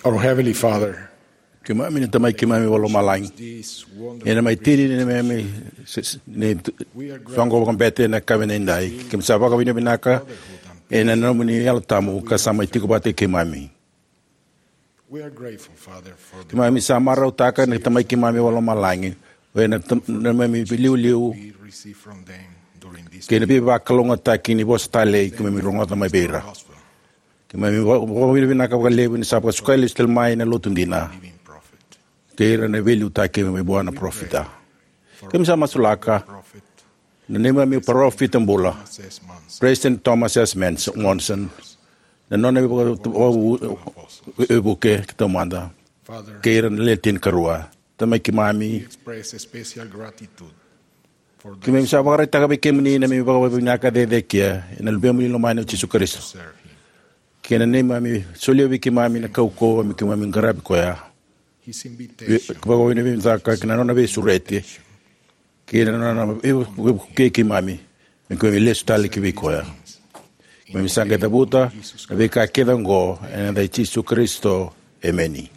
Our Heavenly Father, keimami na Tamai keimami vakalomalagi, this wonderful ena mai tini ni neimami se- se- ni soqo vakabete na kavi na idai. Keimami sa vakavinavinaka ena nomuni Yalo Tabu ka sa mai tiko vata kei keimami. We are grateful, Father, for the keimami sa marautaka na Tamai keimami vakalomalagi o ena tam- neimami liuliu we receive from them during this kei na veivakalougatataki ni vosa talei keimami rogoca mai vei ira. Gospel. Keimami va- vakavinavinaka vakalevu ni sa vakasukai lesu tale mai na lotu dina living prophet. Kei ira na veiliutaki mai vua na parofita. Keimami sa masulaka prophet na neimami parofita bula, Thomas S. Monson, President Thomas S. Monson, na nona veivuke taumada, Father, kei ira na le tinikarua. Tamai keimami, we express a special gratitude for the keimami sa vakaraitaka vei kemuni na neimami vakavinavinaka cecekia ena Luvemuni lomani o Jisu Karisito, serve him. Kei na neimami solia vei keimami na kaukauwa me keimami qaravi koya. His invitation, vakavinavinaka kei na nona veisureti, kei na nona vei- veivukei keimami me keimami lesu tale ki vei koya. Keimami sa qai cavuta na veika kece oqo ena yaca i Jisu Karisito. Emeni.